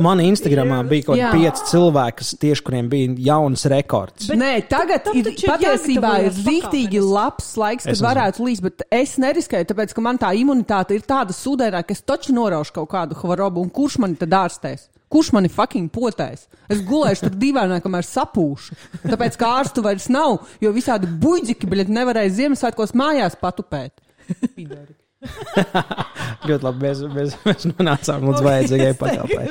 Man Instagramā bija kaut 5 cilvēki, tieši kuriem bija jauns rekords. Bet tagad patiesībā ir rīktīgi labs laiks, kad varētu līst, bet es neriskēju, tāpēc, ka man tā imunitāte ir tāda sūdēnā, ka es taču noraušu kaut kādu hvarobu, un kurš mani tad ārstēs? Kurš mani fucking potēs? Es gulēšu tur dīvainā, kamēr sapūšu. Tāpēc, ka ārstu vairs nav, jo visādi buļģiki, bļet, nevarēja Ziemassvētkos mājās patupēt. Pidari. Ļoti labi, mēs nonācām līdz vajadzīgai pakalpai.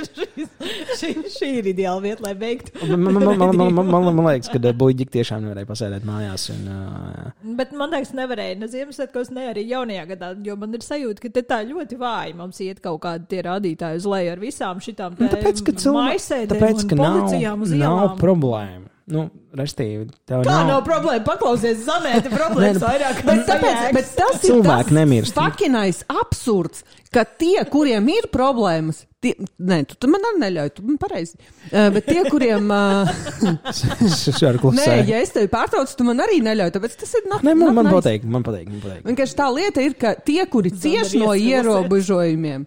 Šī ir ideāla vieta, lai beigtu. Man liekas, ka buļģiki tiešām nevarēja pasēdēt mājās. Bet man liekas, nevarēja ne Ziemassvētkos, ne arī jaunajā gadā, jo man ir sajūta, ka te tā ļoti vāji mums iet kaut kādi tie rādītāji uz leju ar visām šitām maisēdēm un policijām uz ielām. Nav problēma. Restīvi, tev nav problēma? Paklausies, Zanēta problēmas vairāk. Bet tas ir tas fakinais absurds, ka tie, kuriem ir problēmas, tu man arī neļauj, tu man pareizi. Bet tie, kuriem... Nē, ja es tevi pārtraucu, tu man arī neļauj, tāpēc tas ir... Man pateik. Vienkārši tā lieta ir, ka tie, kuri cieš no ierobežojumiem,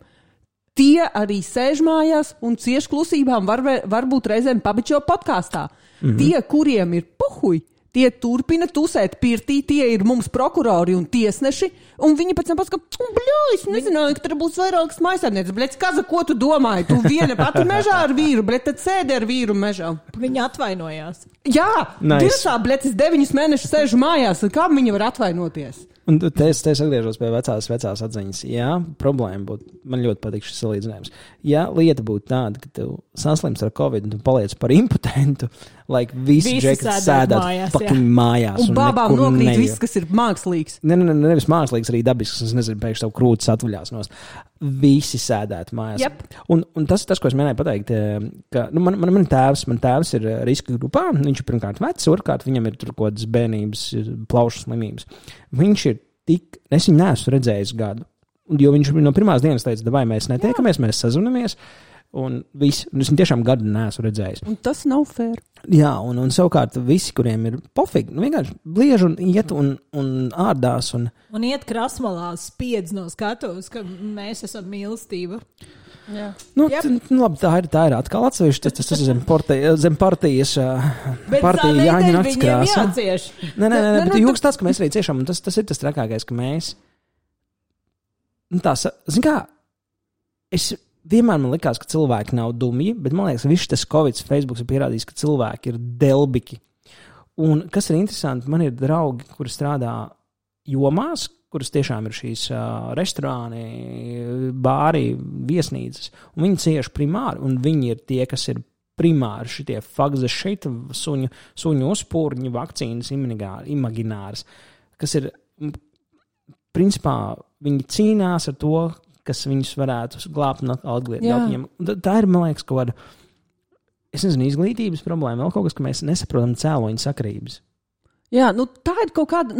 tie arī sēž mājās un cieš klusībām, varbūt reizēm pabičo podkāstā. Tie, kuriem ir puhuj, tie turpina tusēt pirtī, tie ir mums prokurori un tiesneši, un viņi pēc tam pasaka, es nezināju, ka tur būs vairākas mājasēmnieces. Bļēc, Kaza, ko tu domāji? Tu viena pati mežā ar vīru, bļēc, tad sēdi ar vīru mežā. Viņi atvainojās. Jā, dirsā, bļēc, es 9 mēnešus sēžu mājās, kā viņi var atvainoties? Un te es atgriežos pie vecās atziņas. Jā, problēma būtu, man ļoti patīk šis salīdzinājums. Ja lieta būtu tāda, ka tu saslims ar Covid un tu paliec par impotentu, visi džekati sēdāt fucking mājās. Un bābām nokrīt viss, kas ir mākslīgs. Nevis mākslīgs, arī dabisks, es nezinu, pēkšņi tavu krūtis atvaļās nost. Visi sēdēt mājās. Yep. Un tas, ko es mēģināju pateikt, ka man tēvs ir riska grupā, viņš ir pirmkārt vecs, otrkārt viņam ir tur kaut kādas bērnības, plaušu slimības. Viņš ir es viņu neesmu redzējis gadu, jo viņš no pirmās dienas teica, vai mēs netiekamies, mēs sazvanamies, un es viņu tiešām gadu neesmu redzējis. Un tas nav fair. Jā, un savukārt visi, kuriem ir pofīgi, vienkārši bliež un iet un ārdās. Un iet krasmalā spiedz no skatuves, ka mēs esam mīlestība. Jā. Labi, tā ir atkal atsevišķi. Tas ir zem partijas partija Jāņa nakts krāsa. Bet jūks tāds, ka mēs arī ciešam, un tas ir tas trakākais, ka mēs zin kā, vienmēr man likās, ka cilvēki nav dumji, bet man liekas, viss tas Covid Facebooks ir pierādījis, ka cilvēki ir delbiki. Un kas ir interesanti, man ir draugi, kuri strādā jomās, kuras tiešām ir šīs restorāni, bāri, viesnīcas, un viņi cieši primāri, un viņi ir tie, kas ir primāri šitie fagze šeit, suņu uzpūrņi, vakcīnas, imagināras, kas ir, principā, viņi cīnās ar to, kas viņus varētu glābt un atglietot viņiem. Tā ir, man liekas, kaut kāda, es nezinu, izglītības problēma, vēl kaut kas, ka mēs nesaprotam cēloņu sakarības. Jā, tā ir kaut kāda,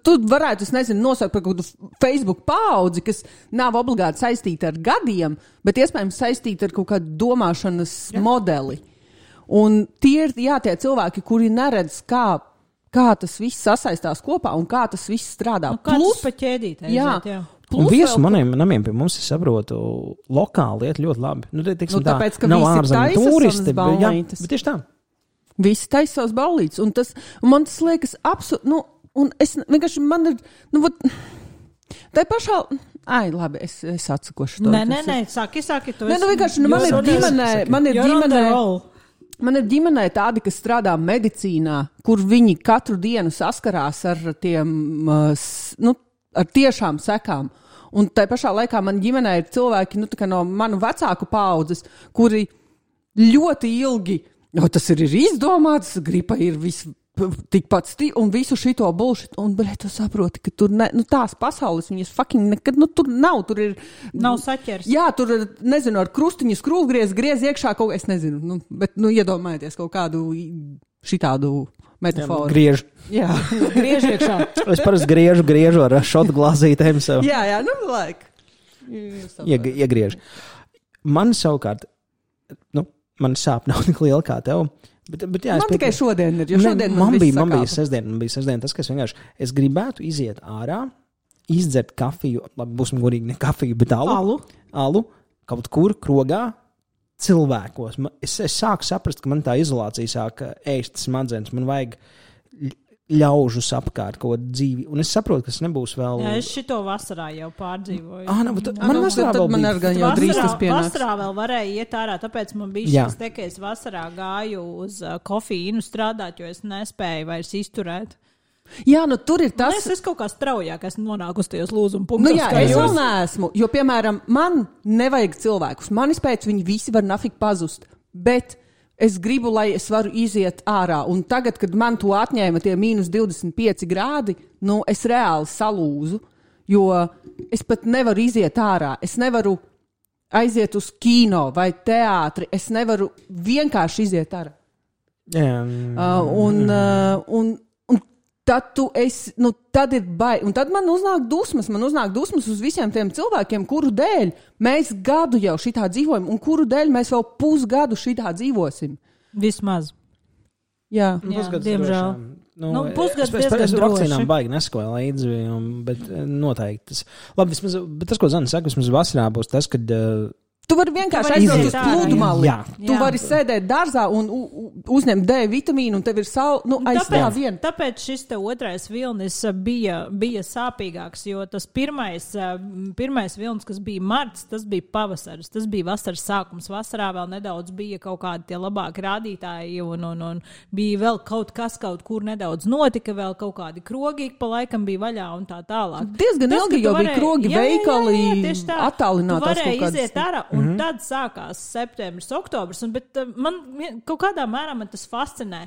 tu varētu, es nezinu, nosaukt par kaut kādu Facebook paudzi, kas nav obligāti saistīta ar gadiem, bet iespējams saistīta ar kaut kādu domāšanas modeli. Un tie ir, tie cilvēki, kuri neredz, kā tas viss sasaistās kopā un kā tas viss strādā. Plus pa ķēdīt. Jā. Un viesu maniem namiem pie mums, es saprotu, lokāli iet ļoti labi. Tāpēc, ka nav visi taisa turisti, ballītes. Bet tieši tā. Visi taisa savas ballītes. Un man tas liekas absurdi. Un es vienkārši, man ir, tā pašā, labi, es atsakošu to. Nē, saki, tu esi. Vienkārši, man ir ģimenē tādi, kas strādā medicīnā, kur viņi katru dienu saskarās ar ar tiešām sekām. Un tai pašā laikā man ģimenē ir cilvēki, no manu vecāku paaudzes, kuri ļoti ilgi, tas ir izdomāts, gripa ir tikpat un visu šito bullshit, un, tu saproti, ka tur tās pasaules, viņas fucking nekad, tur nav, tur ir... Nav saķers. Jā, tur, nezinu, ar krustiņu skrūvgriez iekšā kaut, es nezinu, bet, iedomājieties kaut kādu šitādu metaforu. Griež. Jā, griež iekšā. Es parasti griežu ar šotu glāzītēm sev. Jā, Iegriež. Man savukārt, man sāp nav tik liela kā tev. Bet jā, man tikai šodien ir, jo šodien man bija sestdien tas, ka es gribētu iziet ārā, izdzert kafiju, labi, būsim godīgi, ne kafiju, bet alu, kaut kur krogā, cilvēkos. Es sāku saprast, ka man tā izolācija sāk ēst smadzenes, man vajag ļaužus apkārt kaut dzīvi, un es saprotu, ka tas nebūs vēl... Jā, es šito vasarā jau pārdzīvoju. Man vasarā vēl bija. Vasarā vēl varēja iet ārā, tāpēc man bija šis te, ka es vasarā gāju uz kofīnu strādāt, jo es nespēju vairs izturēt. Jā, tur ir tas... Es kaut kā straujāk esmu nonākusi tajos lūzuma punktos. Es vēl neesmu, jo, piemēram, man nevajag cilvēkus. Manis pēc viņi visi var nafik pazust, bet... Es gribu, lai es varu iziet ārā. Un tagad, kad man to atņēma tie -25 grādi, es reāli salūzu, jo es pat nevaru iziet ārā. Es nevaru aiziet uz kino vai teātri. Es nevaru vienkārši iziet ārā. Un tad ir baigi. Un tad man uznāk dusmas uz visiem tiem cilvēkiem, kuru dēļ mēs gadu jau šitā dzīvojam, un kuru dēļ mēs vēl pusgadu šitā dzīvosim. Vismaz. Jā, diemžēl. pusgads diezgan droši. Es vakcīnām droši. baigi nesakoju līdzi, bet noteikti tas. Labi, bet tas, ko Zana saka, vismaz vasarā būs tas, kad... Tu vari vienkārši aizbraukt uz plūdumali. Tu vari sēdēt dārzā un uzņemt D vitamīnu, un tev ir aizstāv vien. Tāpēc šis te otrais vilnis bija sāpīgāks, jo tas pirmais vilnis, kas bija marts, tas bija pavasaris, tas bija vasaras sākums. Vasarā vēl nedaudz bija kaut kādi tie labāki rādītāji, un bija vēl kaut kas, kaut kur nedaudz notika, vēl kaut kādi krogi pa laikam bija vaļā un tā tālāk. Diezgan ilgi jau bija krogi, veikali, attālinātās kaut kādas. Un tad sākās septembris, oktobris, bet man kaut kādā mērā man tas fascinē,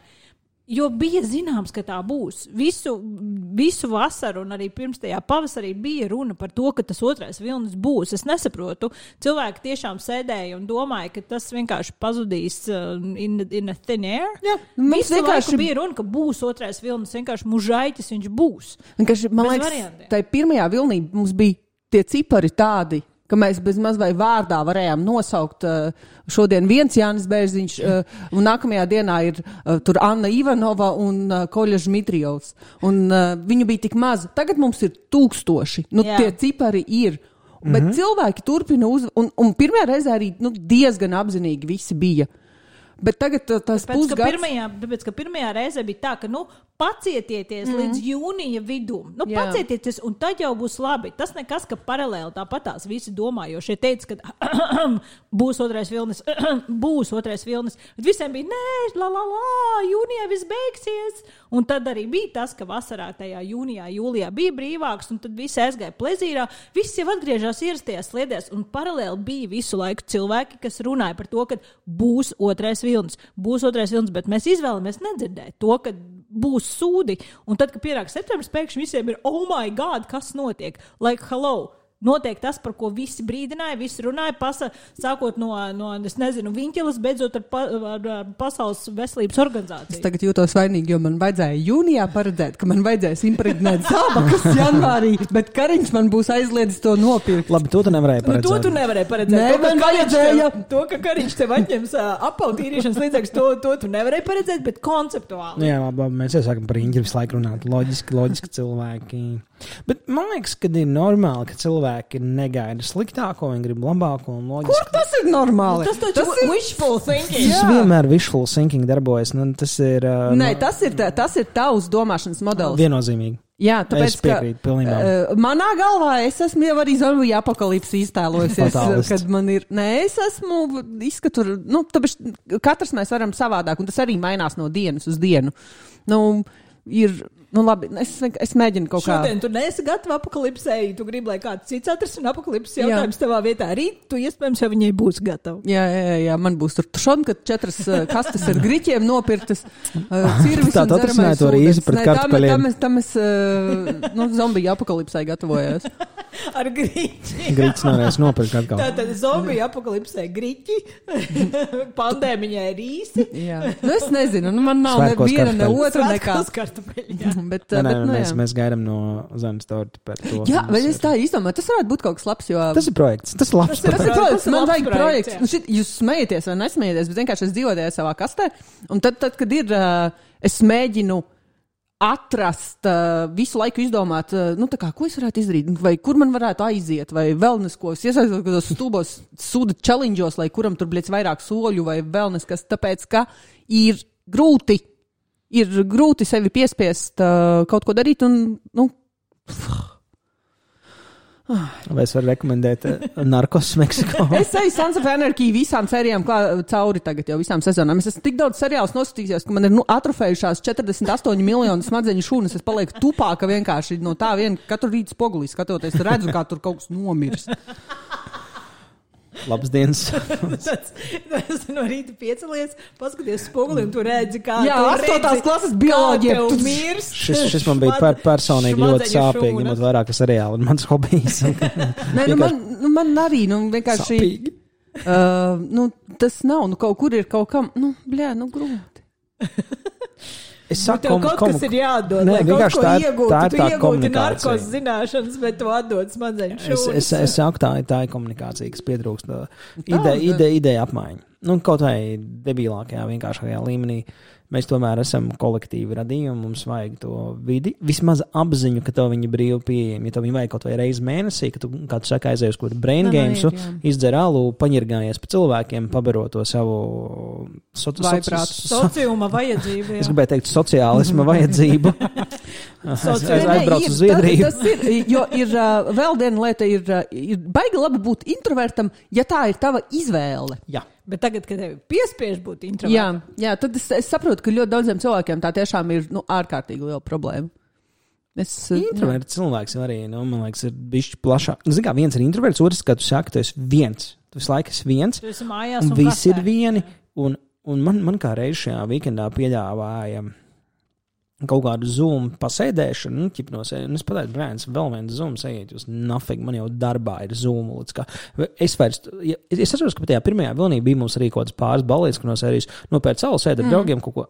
jo bija zināms, ka tā būs. Visu vasaru un arī pirms tajā pavasarī bija runa par to, ka tas otrais vilnis būs. Es nesaprotu. Cilvēki tiešām sēdēja un domāja, ka tas vienkārši pazudīs in a thin air. Jā, visu laiku bija runa, ka būs otrais vilnis, vienkārši mužaitis viņš būs. Man liekas, tai pirmajā vilnī mums bija tie cipari tādi, ka mēs bez maz vai vārdā varējām nosaukt šodien viens Jānis Bērziņš, un nākamajā dienā ir tur Anna Ivanova un Koļa Žmitrijovs. Un viņu bija tik maz. Tagad mums ir 1000. Tie cipari ir. Bet cilvēki turpina un pirmajā reizē arī diezgan apzinīgi visi bija. Bet tagad tas pusgads... Tāpēc, ka pirmajā reizē bija tā, ka, pacietieties līdz jūnija vidum. Pacietieties, un tad jau būs labi. Tas nekas, ka paralēli tāpatās visi domā, jo šie teica, ka būs otrais vilnis, būs otrais vilnis. Bet visiem bija, nē, jūnijā viss beigsies. Un tad arī bija tas, ka vasarā tajā jūnijā, jūlijā bija brīvāks, un tad visi aizgāja plezīrā. Visi jau atgriežās ierastajās sliedēs, un paralēli bija visu laiku cilvēki, kas runāja par to, ka būs otrais vilnis. Būs otrais vilnis, bet mēs izvēlamies nedzirdēt to, ka būs sūdi. Un tad, kad pienāk septembris, pēkšņi visiem ir, oh my God, kas notiek? Like, hello. Notiek tas, par ko visi brīdināja, visi runāja, sākot no es nezinu, Viņķeles, beidzot ar Pasaules veselības organizāciju. Es tagad jūtos vainīgi, jo man vajadzēja jūnijā paredzēt, ka man vajadzēs impregnēt zābakas janvārī, bet Kariņš man būs aizliedzis to nopirkt. Labi, to tu nevarēji paredzēt. To tu nevarēji paredzēt. Nē, man vajadzēja. To, ka Kariņš tev atņems apautīrīšanas līdzekļus, to tu nevarēji paredzēt, bet konceptuāli. Jā, labi, mēs jau sākam par Riņķi visu laiku runāt. Loģiski cilvēki. Bet man liekas, ka ir normāli, ka cilvēki negaida sliktāko, viņi grib labāko un loģiski. Kur tas ir normāli? Tas ir wishful thinking. Tas vienmēr wishful thinking darbojas. Tas ir... Nē, tas ir tavs domāšanas modelis. Viennozīmīgi. Jā, tāpēc, es piekrītu pilnībā. Manā galvā es esmu jau arī zombiju apokalipsi iztēlojusies, kad man ir... Nē, es esmu izskatu... Tāpēc katrs mēs varam savādāk, un tas arī mainās no dienas uz dienu. Labi, es mēģinu kaut kā... Šodien tu neesi gatava apokalipsēji, tu gribi, lai kāds cits atrisina apokalipses jautājums tavā vietā. Rīt tu iespējams jau viņai būs gatava. Jā, man būs tur šodien, kad 4 kastes ar griķiem nopirktas, cirvis un dzeramais ūdens. Tam es zombiju apokalipsē gatavojos. Ar griķi. Griķis nevarēs nopirkt atkal. Tātad zombiju apokalipsē griķi, pandēmiņai rīsi. Jā. Es nezinu, man nav neviena, ne otra nekā. Bet, mēs gaidām no Zanes torti par to. Jā, bet es tā izdomāju, tas varētu būt kaut kas labs, jo... Tas ir projekts, tas ir labs projekts. Man vajag projekts. Jūs smējaties vai nesmējaties, bet vienkārši es dzīvoju savā kastē. Un tad, kad ir, es mēģinu atrast, visu laiku izdomāt, ko es varētu izdarīt, vai kur man varētu aiziet, vai wellness, es iesaistos kādos stulbos suda challenge'os, lai kuram tur bliec vairāk soļu, vai wellness, kas tāpēc, ka ir grūti sevi piespiest kaut ko darīt, un, Vai es varu rekomendēt Narcos Meksikā? Es eju Sons of Anarchy visām sērijām cauri tagad jau visām sezonām. Es esmu tik daudz seriālus noskatījies, ka man ir atrofējušās 48 miljonu smadzeņu šūnas. Es palieku tupāka vienkārši no tā vien katru rītu spogulī skatoties, redzu, kā tur kaut kas nomirs. Labs dienas. Tas no rīta piecelies, paskaties spoguli un tu redzi, kā jā, 8. klases bioloģija tu mirs. Šis man bija personīgi ļoti sāpīgi, ņemot vairāk seriālu un mans hobijs. Nē, man arī, vienkārši... Sāpīgi. Tas nav, kaut kur ir kaut kam, grūti. Es saku, tev kaut kas ir jādod, lai kaut ko iegūtu. Tu iegūti narkos zināšanas, bet tu atdod smadzeņu šūnas. Es saku, tā ir komunikācija, kas pietrūkst. Ideja apmaiņa. Kaut vai debilākajā, vienkāršākajā līmenī. mēs tomēr esam kolektīvi radījumi, mums vajag to vidi, vismaz apziņu, ka tev viņi brīvi pieejami, ja tev viņi vajag kaut vai reizi mēnesī, ka tu, kā tu saka, aizēji uz kaut kādu brain games, izdzer alu, paņirgājies pa cilvēkiem, pabaro to savu sociuma vajadzību. Es gribēju teikt sociālisma vajadzību. Es aizbraucu uz Zviedriju. Tas ir, jo ir vēl viena lieta, ir baigi labi būt introvertam, ja tā ir tava izvēle. Jā. Bet tagad, kad tevi piespiež būt introvertam. Jā, tad es saprotu, ka ļoti daudziem cilvēkiem tā tiešām ir ārkārtīgi liela problēma. Introverts cilvēks arī, man liekas, ir bišķi plašāk. Zini kā, viens ir introverts, otrs, kad tu saki, tu esi viens. Tu visu laiku esi viens. Tu esi mājās un visi ir vieni. Un man kā reiz šajā weekendā piedāvāja kaut kādu Zoom pasēdēšanu, es pateicu, brēns, vēl viens Zoom sējiet, jūs nafig, man jau darbā ir Zoom. Es atceros, ka tajā pirmajā vilnī bija mums arī kaut kāds pāris balīts, ka no sērijas nopēc salu sēd ar draugiem kaut ko,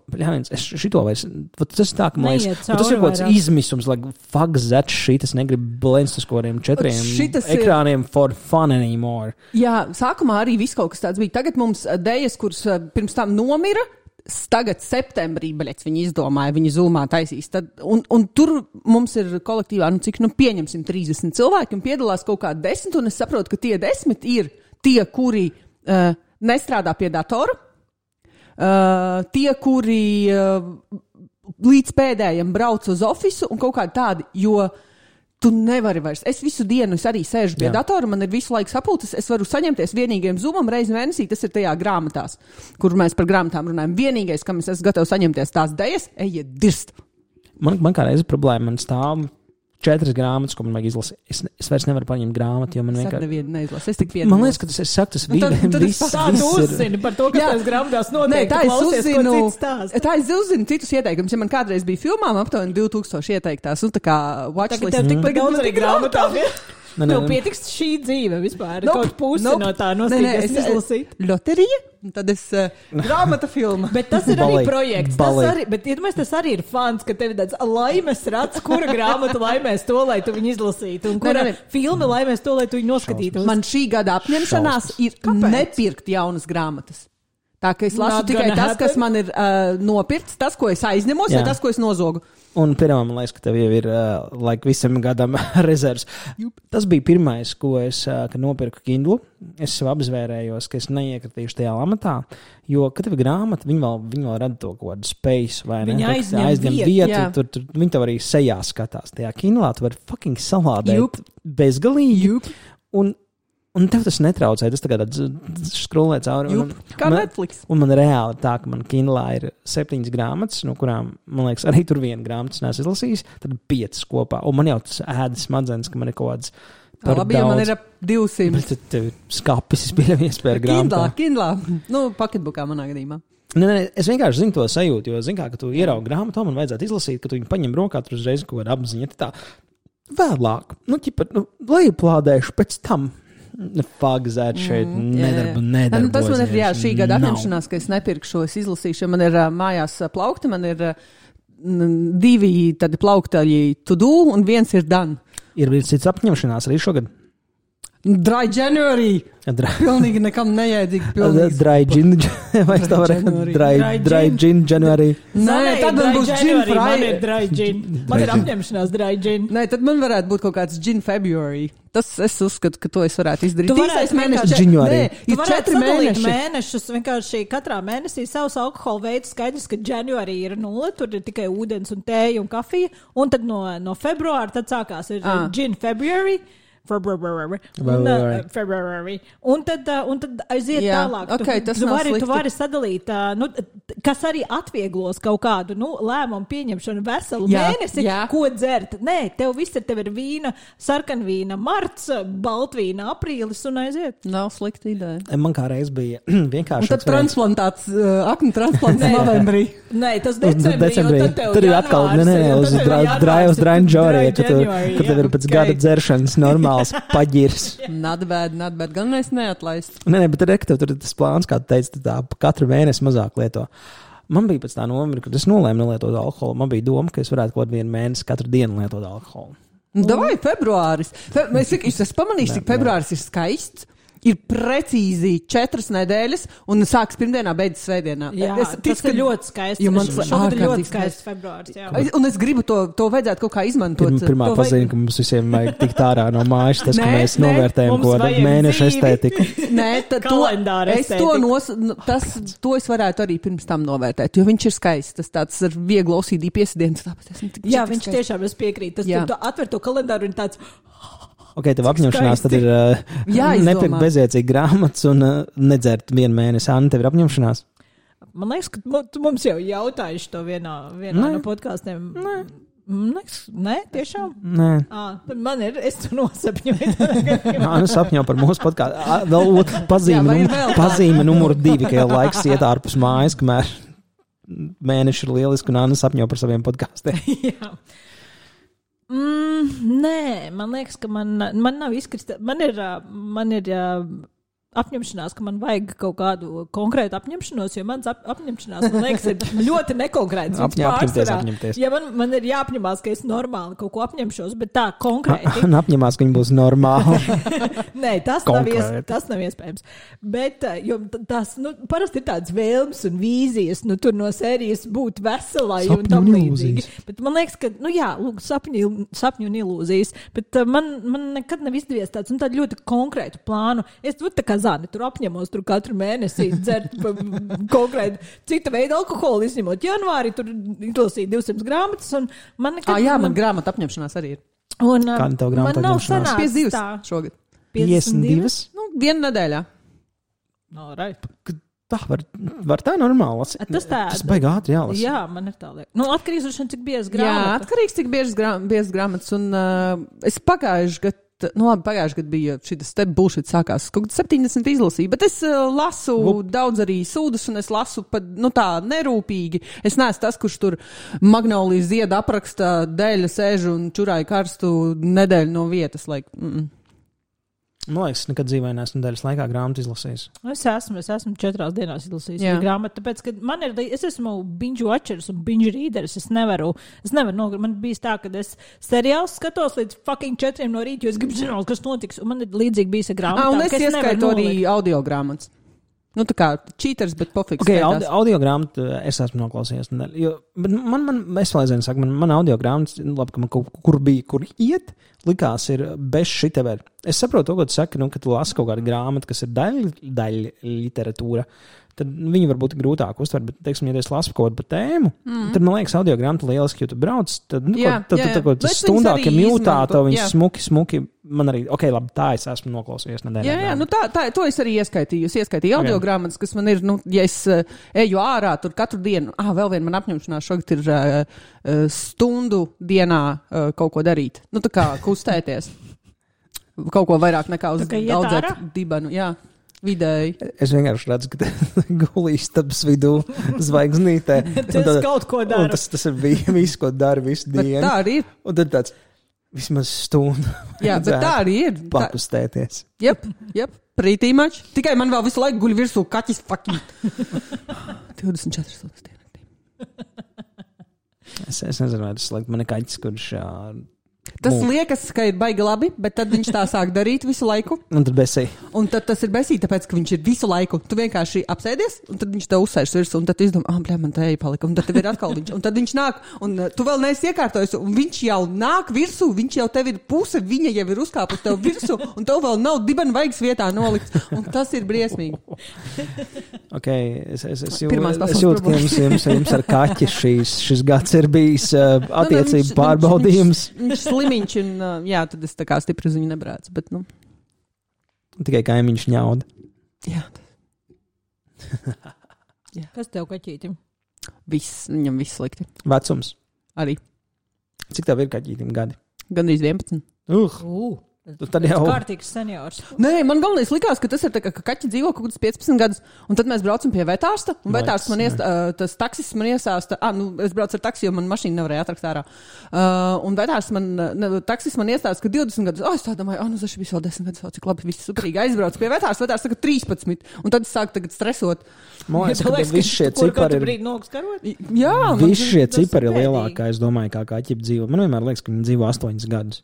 es šito vairs, tas tā, ka man liekas, tas ir kaut kāds izmisums, fuck that shit, es negribu blēnst uz kaut kādiem 4 ekrāniem for fun anymore. Jā, sākumā arī viss kaut kas tāds bija. Tagad mums Dejas, kuras pirms tam nomira, tagad septembrī, viņi izdomāja, viņi Zoomā taisīs. Un tur mums ir kolektīvā, cik pieņemsim 30 cilvēki un piedalās kaut kā 10, un es saprotu, ka tie 10 ir tie, kuri nestrādā pie datora, tie, kuri līdz pēdējiem brauc uz ofisu un kaut kādi tādi, jo tu nevari vairs. Es visu dienu arī sēžu pie datora, man ir visu laiku sapulces, es varu saņemties vienīgajam Zoomam reizi mēnesī, tas ir tajā grāmatās, kur mēs par grāmatām runājam. Vienīgais, kam es esmu gatavs saņemties tās Dejas, ejiet dirst. Man kā reiz problēma, man stāv 4 grāmatas, ko man vajag izlasīt. Es vairs nevaru paņemt grāmatu, jo man vienkārši... Es tik vienu. Man liekas, ka tas ir saktas viss. Tā tu uzzini par to, kas tās grāmatās notiek. Tā es uzzinu citus ieteikumus. Ja man kādreiz bija filmām aptuveni 2000 ieteiktās, un tā kā watchlist. Tagad tev tikpat daudz arī grāmatām. Tev pietiks šī dzīve vispār. Kaut pusi no tā nostīties izlasīt. Loterija? Un tad es grāmata filma. Bet tas ir arī projekts. Bet tas arī ir fans, ka tev ir tāds laimes rats, kura grāmata laimēs to, lai tu viņu izlasītu. Un kura filma laimēs to, lai tu viņu noskatītu. Man šī gada apņemšanās ir nepirkt jaunas grāmatas. Tā, ka es lasu tikai tas, kas man ir nopirkts, tas, ko es aizņemos, vai tas, ko es nozogu. Un pirmā, man liekas, ka tev jau ir visam gadam rezervs. Tas bija pirmais, ko es nopirku Kindlu. Es sev apzvērējos, ka es neiekritīšu tajā lamatā, jo, kad tev ir grāmata, viņi vēl rada to kaut kādu space, vai ne? Viņi aizņem vietu. Tur viņi tev arī sejā skatās. Tajā Kindlā tu vari fucking salādēt bezgalīgi. Un tev tas netraucē, tas tagad skrolē cauri. Kā Netflix. Un man reāli tā, ka man Kindlā ir 7 grāmatas, no kurām, man liekas, arī tur viena grāmatas neesmu izlasījis, tad 5 kopā. Un man jau tas ēdas smadzenes, ka man ir kaut kāds par labi, daudz. Man ir ap 200. Bet tev skapis, es pieļauju iespēju grāmatā. Kindlā. Pocketbookā manā gadījumā. Nē, es vienkārši zinu to sajūtu, jo zinu kā, ka tu ieraugi grāmatu, man vajadzētu izlasīt, ka tu viņu paņem rokā, tur uzreiz kaut kāda apziņa. Tā vēlāk, lejuplādēšu pēc tam. Fagzēt šeit, nedarbojas. Tas man ir šī gada apņemšanās, ka es nepirkšu, es izlasīšu. Man ir mājās plaukti, man ir 2 tādi plauktaļi to do un 1 ir done. Ir cits apņemšanās arī šogad? Dry January. Pilnīgi nekam nejēdzīgi. Dry gin. Vai es tā varu? Dry gin January. Nē, tad man būs gin Friday. Man ir dry gin. Man ir apņemšanās dry gin. Nē, tad man varētu būt kaut kāds gin February. Tas es uzskatu, ka to es varētu izdarīt. Tu varētu mēnešus. Nē, tu varētu sadalīt mēnešus. Vienkārši katrā mēnesī savus alkohola veidus skaidrs, ka January ir 0, tur ir tikai ūdens un tēja un kafija. Un tad no februāra tad sākās ir gin February. Un tad aiziet tālāk. Okay, tu vari sadalīt, kas arī atvieglos kaut kādu lēmumu pieņemšanu veselu mēnesi, ko dzert. Nē, tev ir vīna, sarkanvīna, marts, baltvīna, aprīlis un aiziet. Nav slikta ideja. Man kā reiz bija vienkārši. Un tad transplantāts, aknu transplants novembrī. Nē, tas decembrī. Tur ir atkal, uz drainžoriju, kad tev ir pēc gada dzeršanas normāli. Paģirs. Not bad. Gan mēs neatlaist. Nē, bet tur ir tas plāns, kā tu teici, tā katru mēnesi mazāk lieto. Man bija pēc tā nomira, kad es nolēmu nelietot alkoholu. Man bija doma, ka es varētu kaut vienu mēnesi katru dienu lietot alkoholu. Davai, februāris. Es pamanīju, cik februāris ir skaists. ir precīzi 4 nedēļas, un sāks pirmdienā, beidzas svētdienā. Jā, tas ir ļoti skaisti. Šogad ir ļoti skaists februāris. Jā. Un es gribu to vajadzētu kaut kā izmantot. Pirmā pazīme, ka mums visiem vajag tikt ārā no mājas, tas, ka mēs novērtējam ko mēneša estētiku. Nē, to es varētu arī pirms tam novērtēt, jo viņš ir skaists. Tas tāds ar vieglu OCD piesadiens. Jā, viņš tiešām es piekrītu. Tu atver to kalendāru un tāds... Ok, tev apņemšanās tad ir nepirkt bezjēdzīgi grāmatas un nedzert 1 mēnesi. Anna, tev ir apņemšanās? Man liekas, ka mums jau jautājuši to vienā no podkāstiem. Nē, tiešām? Nē. Tad man ir, es to nosapņoju. Anna sapņo par mūsu podkāstu. Vēl pazīme numur 2, ka jau laiks iet ārpus mājas, kamēr mēneši ir lieliski un Anna sapņo par saviem podkāstiem. Jā. Nē, man liekas, ka man nav izkristā. Man ir apņemšanās, ka man vajag kaut kādu konkrētu apņemšanos, jo mans apņemšanās, man liekas, ir ļoti nekonkrēts. Ja man ir jāapņemās, ka es normāli kaut ko apņemšos, bet tā konkrēti. Apņemās, ka viņi būs normāli. Nē, tas nav iespējams. Bet, jo tas, parasti ir tāds vēlms un vīzijas, tur no sērijas būt veselai un tam līdzīgi. Bet man liekas, ka, sapņu un ilūzijas, bet man nekad nav izdevies tāds, tādu ļoti konkrētu plānu. Es tā kā Zani, tur apņemos tur katru mēnesi dzert konkrēti cita veida alkoholu, izņemot janvāri, tur izlasīt 200 grāmatas, un man nekad... man grāmata apņemšanās arī ir. Un kāda tev grāmata apņemšanās? 52 šogad. 52? 1 nedēļā. No, right. Tā var tā normāli lasīt. Tas baigi ātri jālasa. Jā, man ir tā liek. Atkarīgs no cik biezas grāmatas. Jā, atkarīgs cik biezas grāmatas, un es pagājuši gadu, pagājuši gadu bija šitas te bullshit sākās, kaut kad 70 izlasīju, bet es lasu daudz arī sūdus, un es lasu pat, tā nerūpīgi. Es neesmu tas, kurš tur Magnolijas ziedu apraksta dēļa sēž un čurāja karstu nedēļu no vietas, Man liekas, nekad dzīvē neesmu nedēļas laikā grāmatu izlasījis. Es esmu 4 dienās izlasījis grāmatu, tāpēc, ka es esmu binge watchers un binge readers. Es nevaru man bijis tā, ka es seriāls skatos līdz fucking 4 no rīta, jo es gribu zināt, kas notiks, un man ir līdzīgi bijis ar grāmatām. Un es ieskaitu arī audio grāmatas. Tā kā cheaters, bet pofiks. Ok, audio grāmatu es esmu noklausījies. Bet es vēl aizvien saku, man audio grāmatas, labi, ka man kur iet, likās ir bez šitever. Es saprotu to, ko tu saki, ka tu lasi kaut kādu grāmatu, kas ir daļa literatūra, tad viņi varbūt grūtāk uztver, bet, teiksim, ja es lasu kaut kādu par tēmu, tad man liekas audio grāmatu lieliski, jo tu brauc, tad tas stundākiem jūtā, to viņš smuki, man arī, ok, labi, tā es esmu noklausījies nedēļā. Jā, to es arī ieskaitīju. Es ieskaitīju audio grāmatas, kas man ir, ja es eju ārā tur katru dienu, vēl viena man apņemšanās šogad ir stundu dienā kaut ko darīt. Tā kā kustēties. Kaut ko vairāk nekā uz audzēt dibenu, jā. Vidēji. Es vienkārši redzu, ka gulīstabas vidū zvaigznītē. Tas kaut ko dara. Tas ir viss, ko dara visu dienu. Bet tā arī ir. Un tad tāds vismaz stundu. Jā, bet tā arī ir. Pakustēties. Jep, pretty much. Tikai man vēl visu laiku guļ virsū kaķis fucking 24 stundas dienā. Es nezinu, vai tas man ir kaķis, kurš... Tas liekas, ka ir baigi labi, bet tad viņš tā sāk darīt visu laiku. Un tad besī. Un tad tas ir besī, tāpēc, ka viņš ir visu laiku. Tu vienkārši apsēdies, un tad viņš tev uzsēž virsū, un tad tu izdomā, man te palika, un tad tev ir atkal viņš. Un tad viņš nāk, un tu vēl neesi iekārtojis, un viņš jau nāk virsū, viņš jau tev ir puse, viņa jau ir uzkāpus tev virsū, un tev vēl nav dibena vaigas vietā nolikts. Un tas ir briesmīgi. Ok, es jūtu, ka jums ar kaķi šis gads ir bijis attiecību pārbaudījums. Slimiņš, un jā, tad es tā kā stipri uz viņu nebrācu, bet, Tikai kaimiņš ņauda. Jā. Kas tev kaķītim? Viņam viss slikti. Vecums? Arī. Cik tev ir kaķītim gadi? Gandrīz 11. Tad jau kārtīgs seniors. Nē, man galvenais likās, ka tas ir tā, ka kaķi dzīvo kaut kāds 15 gadus, un tad mēs braucam pie vetārsta, un vetārsts man tas taksis man iesāsta, es braucu ar taksi, jo man mašīna nevarēja atrakt ārā. Un vetārsts taksis man iestāsta, ka 20 gadus, es tā domāju, tas bija vēl 10 gadus, cik labi, viss superīgi aizbrauc pie vetārsta, vetārsts saka 13, un tad es sāku tagad stresot. Man liekas, ka visi šie cipari ir... Jā, visi šie cipari ir lielākā, es domāju, kā kaķi dzīvo. Man vienmēr liekas, ka viņi dzīvo 8 gadus.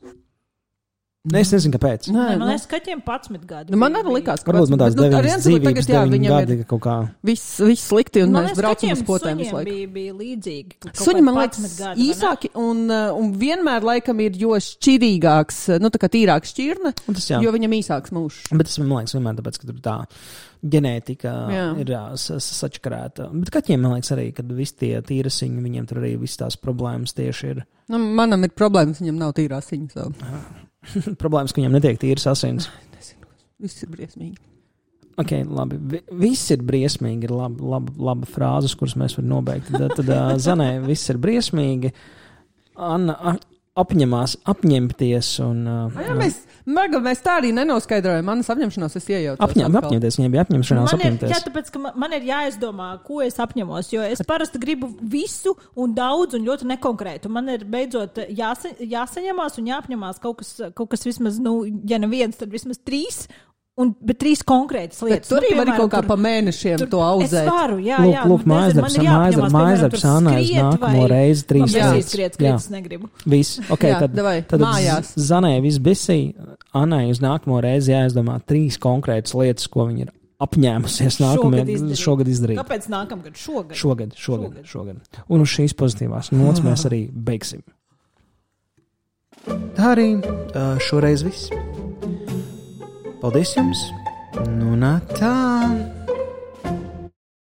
Es nezinu, kāpēc. Man liekas, kaķiem 11 gadi. Man arī likās, ka varbūt man tās 9 dzīvības, 9 gadi kaut kā. Viss slikti, un mēs braucam uz potēm visu laiku. Bija līdzīgi. Suņi, man liekas, īsāki un vienmēr laikam ir jo šķirīgāks, tā kā tīrāks šķirne, jo viņam īsāks mūžs. Bet tas, man liekas, vienmēr tāpēc, ka tur tā ģenētika ir sačakarēta. Bet kaķiem, man liekas, arī, kad visi tie tīrasiņi, viņiem tur arī viss tās problēmas tieši ir. Manam ir problēmas, viņam nav tīrasiņi. So. Problēmas, ka viņam netiek tīras asins. Nezinu, viss ir briesmīgi. Ok, labi. Viss ir briesmīgi, ir laba frāzes, kuras mēs varam nobeigt. Tad Zanē, viss ir briesmīgi. Anna apņemties un... Mēs tā arī nenoskaidrojam. Manas apņemšanos es iejautos. Apņemties, viņai bija apņemšanās apņemties. Jā, tāpēc, ka man ir jāizdomā, ko es apņemos, jo es parasti gribu visu un daudz un ļoti nekonkrētu. Man ir beidzot jāsaņemās un jāapņemās kaut kas vismaz, ja neviens, tad vismaz 3. Bet 3 konkrētas lietas. Bet tur arī var kaut kā pa mēnešiem to auzēt. Es varu, jā. Lūk, mājasdarbs Annai uz nākamo reizi 3 lietas. Es negribu. Viss. Ok, tad Zanē viss bisī. Annai uz nākamo reizi jāizdomā 3 konkrētas lietas, ko viņa ir apņēmusies šogad izdarīt. Kāpēc nākamgad? Šogad. Un uz šīs pozitīvās nots mēs arī beigsim. Tā arī šoreiz viss. Paldies jums! Nu, tā!